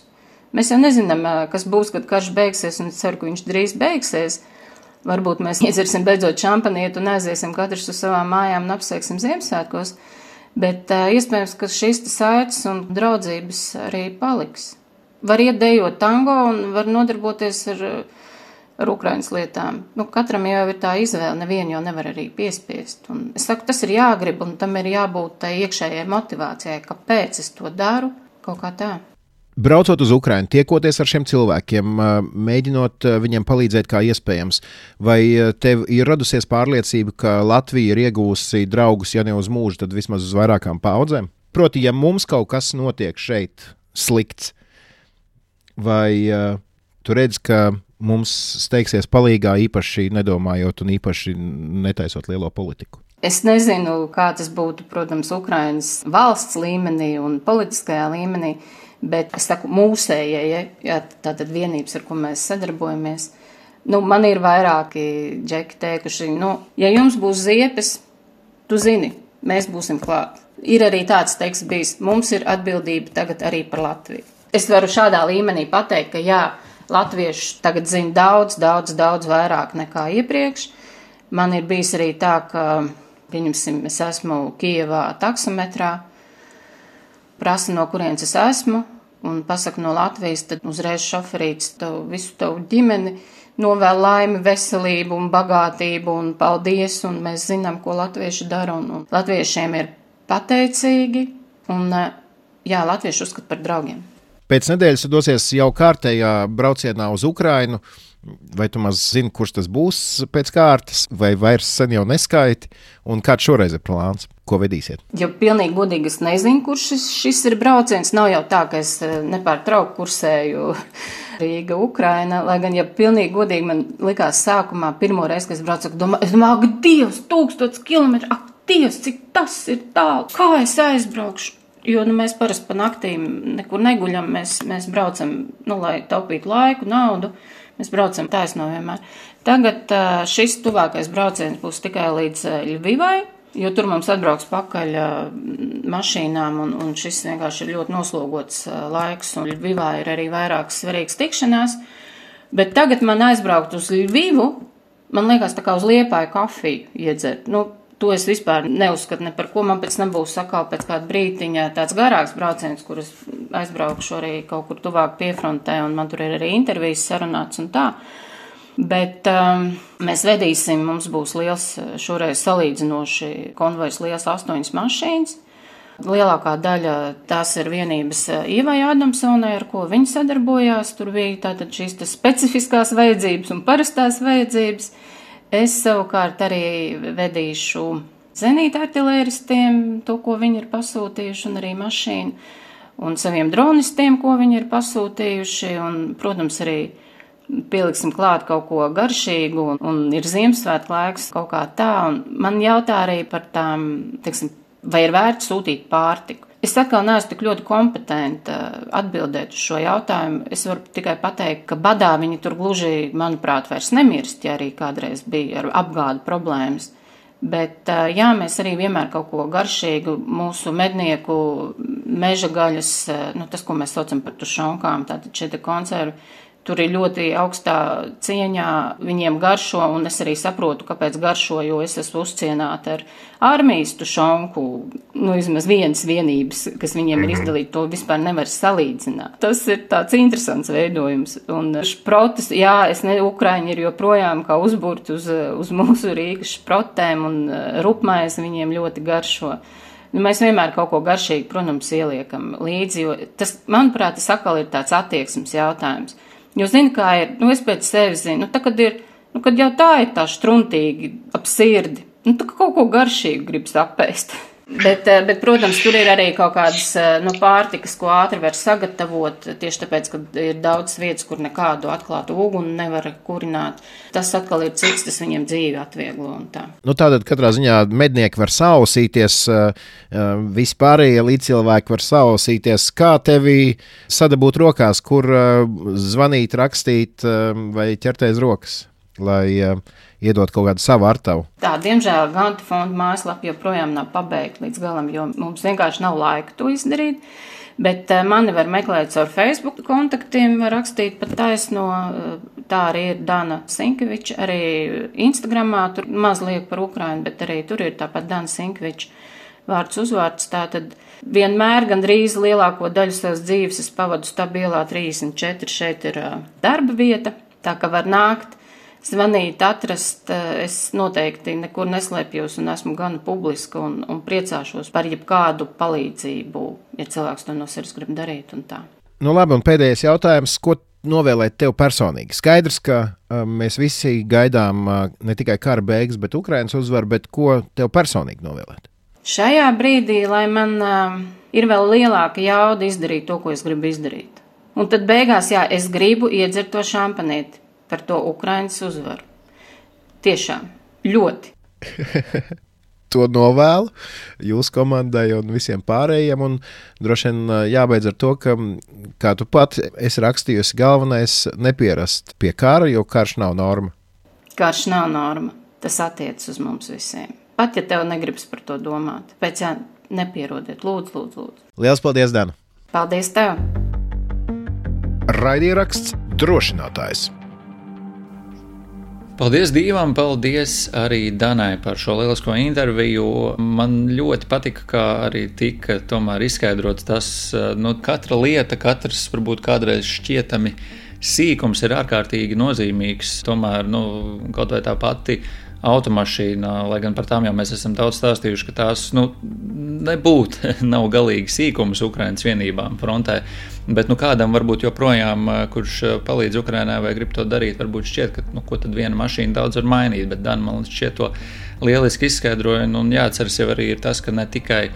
Mēs jau nezinām, uh, kas būs, kad karš beigsies, un es ceru, ka viņš drīz beigsies. Varbūt mēs iedzersim beidzot šampanieti un aiziesim katrs uz savām mājām un apsveiksim Ziemassvētkos, bet uh, iespējams, ka šis saites un draudzības arī paliks. Var iet dejot tango un var nodarboties ar, ar Ukrainas lietām. Nu, katram jau ir tā izvēle, nevienu jau nevar arī piespiest. Un es saku, tas ir jāgrib un tam ir jābūt tai iekšējai motivācijai, kāpēc es to daru, kaut kā tā. Braucot uz Ukrainu, tiekoties ar šiem cilvēkiem, mēģinot viņiem palīdzēt kā iespējams, vai tev ir radusies pārliecība, ka Latvija ir iegūsi draugus, ja ne uz mūžu, tad vismaz uz vairākām paudzēm? Proti, ja mums kaut kas notiek šeit slikts, vai uh, tu redz, ka mums steigsies palīgā īpaši nedomājot un īpaši netaisot lielo politiku? Es nezinu, kā tas būtu, protams, Ukrainas valsts līmenī un politiskajā līmenī, bet es saku mūsējai, ja, ja, tātad vienības, ar ko mēs sadarbojamies. Nu, man ir vairāki džeki teikuši, nu, ja jums būs ziepes, tu zini, mēs būsim klāt. Ir arī tāds teiks bijis, mums ir atbildība tagad arī par Latviju. Es varu šādā līmenī pateikt, ka jā, latvieši tagad zina daudz, daudz, daudz vairāk nekā iepriekš. Man ir bijis arī tā, ka, pieņemsim, es esmu Kijevā taksometrā, prasa, no kurienes es esmu, un pasaka no Latvijas, tad uzreiz šoferīts tavu, visu tavu ģimeni novēl laimi, veselību un bagātību un paldies, un mēs zinām, ko latvieši dara, un, un latviešiem ir pateicīgi, un jā, latvieši uzskata par draugiem. Pēc nedēļas tu dosies jau kārtējā braucienā uz Ukrainu. Vai tu maz zini, kurš tas būs pēc kārtas, vai vairs sen jau neskaiti, un kāds šoreiz ir plāns, ko vedīsiet? Ja pilnīgi godīgi es nezinu, kurš šis, šis ir brauciens, nav jau tā, ka es nepārtraukti kursēju Rīga, Ukraina, lai gan, ja pilnīgi godīgi man likās sākumā, pirmo reizi, kad es braucu, domāju, es domāju, ak, Dievs, tūkstots kilometru, ak, Dievs, cik tas ir tālu, kā es aizbraukšu? Jo nu, mēs parasti pa naktīm nekur neguļam, mēs, mēs braucam, nu, lai taupītu laiku, naudu, mēs braucam taisno vienmēr. Tagad šis tuvākais brauciens būs tikai līdz Ļvivai, jo tur mums atbrauks pakaļ mašīnām, un, un šis vienkārši ir ļoti noslogots laiks, un Ļvivā ir arī vairākas svarīgas tikšanās. Bet tagad man aizbraukt uz Ļvivu, man liekas tā kā uz Liepāju kafiju iedzert. Nu, to es vispār neuzskatu ne par ko. Man pēc tam būs sakal pēc kāda brītiņa tāds garāks brauciens, kur es aizbraukšu arī kaut kur tuvāk piefrontē, un man tur ir arī intervijas sarunāts un tā. Bet um, mēs vedīsim, mums būs liels, šoreiz salīdzinoši konvojs liels astoņas mašīnas. Lielākā daļa tās ir vienības Ievai Adamsonai, ar ko viņi sadarbojās. Tur bija tātad šīs specifiskās vajadzības un parastās vajadzības. Es savukārt arī vedīšu zenīta artilēristiem to, ko viņi ir pasūtījuši, un arī mašīnu, un saviem dronistiem, ko viņi ir pasūtījuši, un, protams, arī pieliksim klāt kaut ko garšīgu, un, un ir Ziemassvētku laiks kaut kā tā, un man jautā arī par tām, teiksim, vai ir vērts sūtīt pārtiku. Es atkal neesmu tik ļoti kompetenta atbildēt uz šo jautājumu. Es varu tikai pateikt, ka badā viņi tur gluži, manuprāt, vairs nemirst, ja arī kādreiz bija ar apgādu problēmas. Bet jā, mēs arī vienmēr kaut ko garšīgu, mūsu mednieku meža gaļas, nu tas, ko mēs saucam par tušonkām, tātad šie te konservi, tur ir ļoti augstā cieņā, viņiem garšo, un es arī saprotu, kāpēc garšo, jo es esmu uzcienāta ar armijas tušonku, nu, vismaz vienas vienības, kas viņiem ir izdalīta, to vispār nevar salīdzināt. Tas ir tāds interesants veidojums, un šprotas, jā, es ne, Ukraiņi ir joprojām kā uzburt uz, uz mūsu Rīgas šprotēm, un rupmais viņiem ļoti garšo. Nu, mēs vienmēr kaut ko garšīgi, protams, ieliekam līdzi, jo tas, manuprāt, tas atkal ir tāds attieksmes jautājums. Jo zinu, kā ir, nu es pēc sevis zinu, nu tā, kad ir, nu kad jau tā ir tā štruntīgi ap sirdi, nu tā kaut ko garšīgu gribas apēst. Bet, bet, protams, tur ir arī kaut kādas nu, pārtikas, ko ātri var sagatavot, tieši tāpēc, ka ir daudz vietas, kur nekādu atklātu uguni nevar kurināt. Tas atkal ir cits, tas viņiem dzīvi atvieglo un tā. Nu, tātad katrā ziņā mednieki var sausīties, vispārējie līdzcilvēki var sausīties. Kā tevi sadabūt rokās, kur zvanīt, rakstīt vai ķerties rokas, lai iedot kaut kādu savu artavu? Tā, diemžēl Gantu fonda mājaslapa joprojām nav pabeigta līdz galam, jo mums vienkārši nav laika to izdarīt. Bet uh, mani var meklēt caur Facebook kontaktiem, var rakstīt pat taisno, uh, tā arī ir Dana Sinkeviča, arī Instagramā, tur maz liek par Ukrainu, bet arī tur ir tāpat Dana Sinkeviča vārds uzvārds. Tātad vienmēr gandrīz lielāko daļu savas dzīves es pavadu stabilā trīsdesmit četri, šeit ir uh, darba vieta, tā ka var nākt. Zvanīt, atrast, es noteikti nekur neslēpjos un esmu gan publiska un, un priecāšos par jebkādu palīdzību, ja cilvēks to no sirds grib darīt un tā. Nu labi, un pēdējais jautājums, ko novēlēt tev personīgi? Skaidrs, ka uh, mēs visi gaidām uh, ne tikai kara beigas, bet Ukrainas uzvaru, bet ko tev personīgi novēlēt? Šajā brīdī, lai man uh, ir vēl lielāka jauda izdarīt to, ko es gribu izdarīt. Un tad beigās, jā, es gribu iedzert to šampanīti par to Ukrainas uzvaru. Tiešām, ļoti. To novēlu jūsu komandai un visiem pārējiem, un droši vien jābeidz ar to, ka, kā tu pat esi rakstījusi, galvenais nepierast pie kara, jo karš nav norma. Karš nav norma. Tas attiec uz mums visiem. Pat, ja tev negribas par to domāt. Pēc jā, nepierodiet. Lūdzu, lūdzu, lūdzu. Liels paldies, Dana. Paldies tev. Raidieraksts Drošinātājs. Paldies Dievam, paldies arī Danai par šo lielisko interviju. Man ļoti patika, kā arī tika tomēr izskaidrots tas, nu, katra lieta, katrs varbūt kādreiz šķietami sīkums ir ārkārtīgi nozīmīgs. Tomēr, nu, kaut vai tā pati automašīna, lai gan par tām jau mēs esam daudz stāstījuši, ka tās, nu, nebūtu, nav galīgi sīkums Ukrainas vienībām frontē. Bet nu, kādam varbūt joprojām, kurš palīdz Ukrainai vai grib to darīt, varbūt šķiet, ka nu, ko tad viena mašīna daudz var mainīt, bet Dan man šķiet to lieliski izskaidroja. Un jāatceras jau arī ir tas, ka ne tikai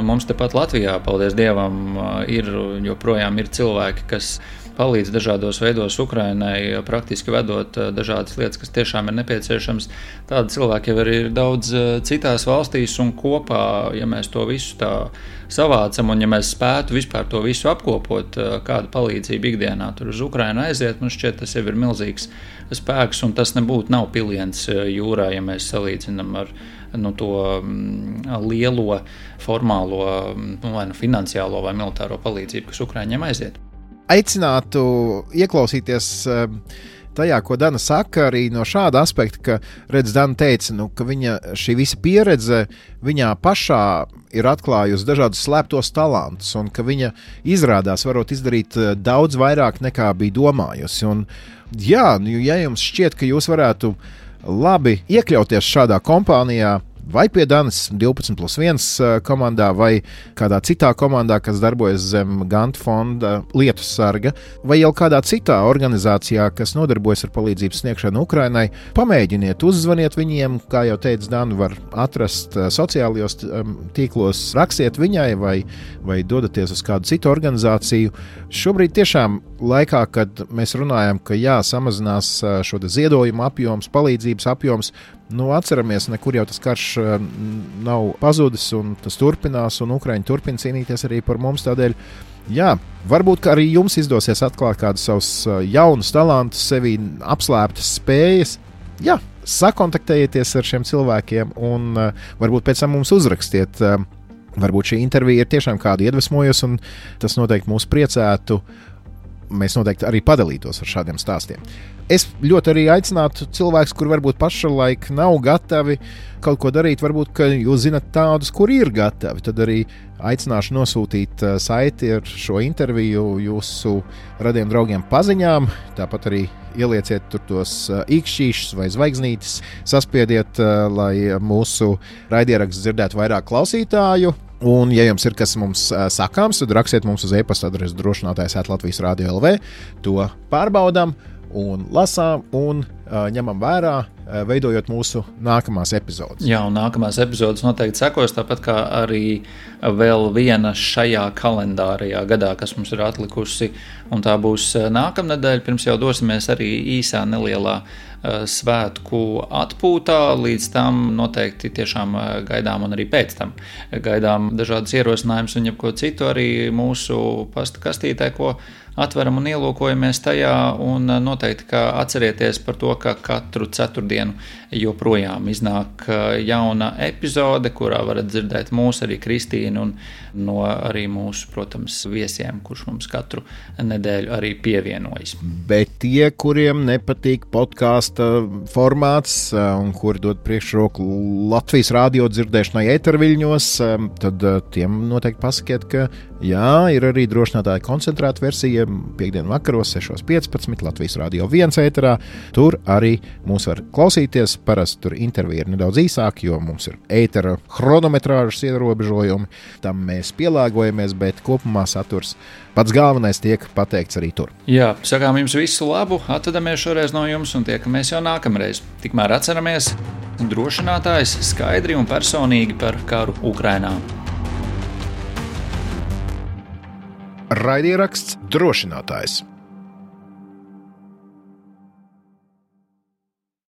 mums tepat Latvijā, paldies Dievam, ir joprojām ir cilvēki, kas palīdz dažādos veidos Ukrainai, praktiski vedot dažādas lietas, kas tiešām ir nepieciešams. Tādi cilvēki jau ir daudz citās valstīs un kopā, ja mēs to visu tā savācam un ja mēs spētu vispār to visu apkopot, kāda palīdzība ikdienā tur uz Ukrainu aiziet, man šķiet, tas jau ir milzīgs spēks un tas nebūtu nav piliens jūrā, ja mēs salīdzinam ar nu, to lielo, formālo, vai nu finansiālo vai militāro palīdzību, kas Ukraiņiem aiziet. Aicinātu ieklausīties tajā, ko Dana saka, arī no šāda aspekta, ka, redz, Dana teica, nu, ka viņa šī visa pieredze viņā pašā ir atklājusi dažādus slēptos talantus un ka viņa izrādās varot izdarīt daudz vairāk nekā bija domājusi. Un, jā, ja jums šķiet, ka jūs varētu labi iekļauties šādā kompānijā, vai pie Danas divpadsmit plus viens komandā, vai kādā citā komandā, kas darbojas zem Gantu fonda lietu sarga, vai jau kādā citā organizācijā, kas nodarbojas ar palīdzības sniegšanu Ukrainai, pamēģiniet, uzzvaniet viņiem, kā jau teica Dana, var atrast sociālajos tīklos, rakstiet viņai vai, vai dodaties uz kādu citu organizāciju. Šobrīd tiešām laikā, kad mēs runājam, ka jā, samazinās šo ziedojumu apjoms, palīdzības apjoms, nu, atceramies, nekur jau tas karš nav pazudis un tas turpinās, un Ukraiņi turpina cīnīties arī par mums. Tādēļ, jā, varbūt arī jums izdosies atklāt kādus savus jaunus talantus, sevi apslēptas spējas. Jā, sakontaktējieties ar šiem cilvēkiem un varbūt pēc tam mums uzrakstiet. Varbūt šī intervija ir tiešām kādu iedvesmojusi, un tas noteikti mūs priecētu. mēs noteikti arī padalītos ar šādiem stāstiem. Es ļoti arī aicinātu cilvēkus, kur varbūt pašlaik nav gatavi kaut ko darīt, varbūt, ka jūs zinat tādus, kuri ir gatavi, tad arī aicināšu nosūtīt saiti ar šo interviju jūsu radiem draugiem paziņām, tāpat arī ielieciet tur tos īkšķīšus vai zvaigznītes, saspiediet, lai mūsu raidieraksts dzirdētu vairāk klausītāju. Un, ja jums ir kas mums sakāms, tad rakstiet mums uz e-pasta adresi drošinātājs at Latvijas Radio L V. To pārbaudām un lasām un uh, ņemam vērā, uh, veidojot mūsu nākamās epizodes. Jā, un nākamās epizodes noteikti sekos, tāpat kā arī vēl viena šajā kalendārajā gadā, kas mums ir atlikusi, un tā būs nākamnedēļ. Pirms jau dosimies arī īsā nelielā uh, svētku atpūtā, līdz tam noteikti tiešām gaidām un arī pēc tam gaidām dažādas ierosinājumus un jebko citu arī mūsu pasta kastītē, ko atveram un ielūkojamies tajā, un noteikti, ka atcerieties par to, ka katru ceturtdienu joprojām iznāk jauna epizode, kurā varat dzirdēt mūs arī Kristīnu un no arī mūsu, protams, viesiem, kurš mums katru nedēļu arī pievienojas. Bet tie, kuriem nepatīk podkāsta formāts un kuri dod priekšroku Latvijas radio dzirdēšanai ēterviļņos, tad tiem noteikti pasakiet, ka jā, ir arī drošinātāja koncentrēta versija piekdienu vakaros sešos piecpadsmit Latvijas Radio viens ēterā. Tur arī mūs var klausīties. Parasti tur intervija ir nedaudz īsāka, jo mums ir ētera chronometrāžas ierobežojumi. Tam mēs pielāgojamies, bet kopumā saturs pats galvenais tiek pateikts arī tur. Jā, sakām jums visu labu, atvadamies šoreiz no jums un tiekamies jau nākamreiz. Tikmēr atceramies, drošinātājs skaidri un personīgi par karu Ukrainā. Raidieraksts drošinātājs.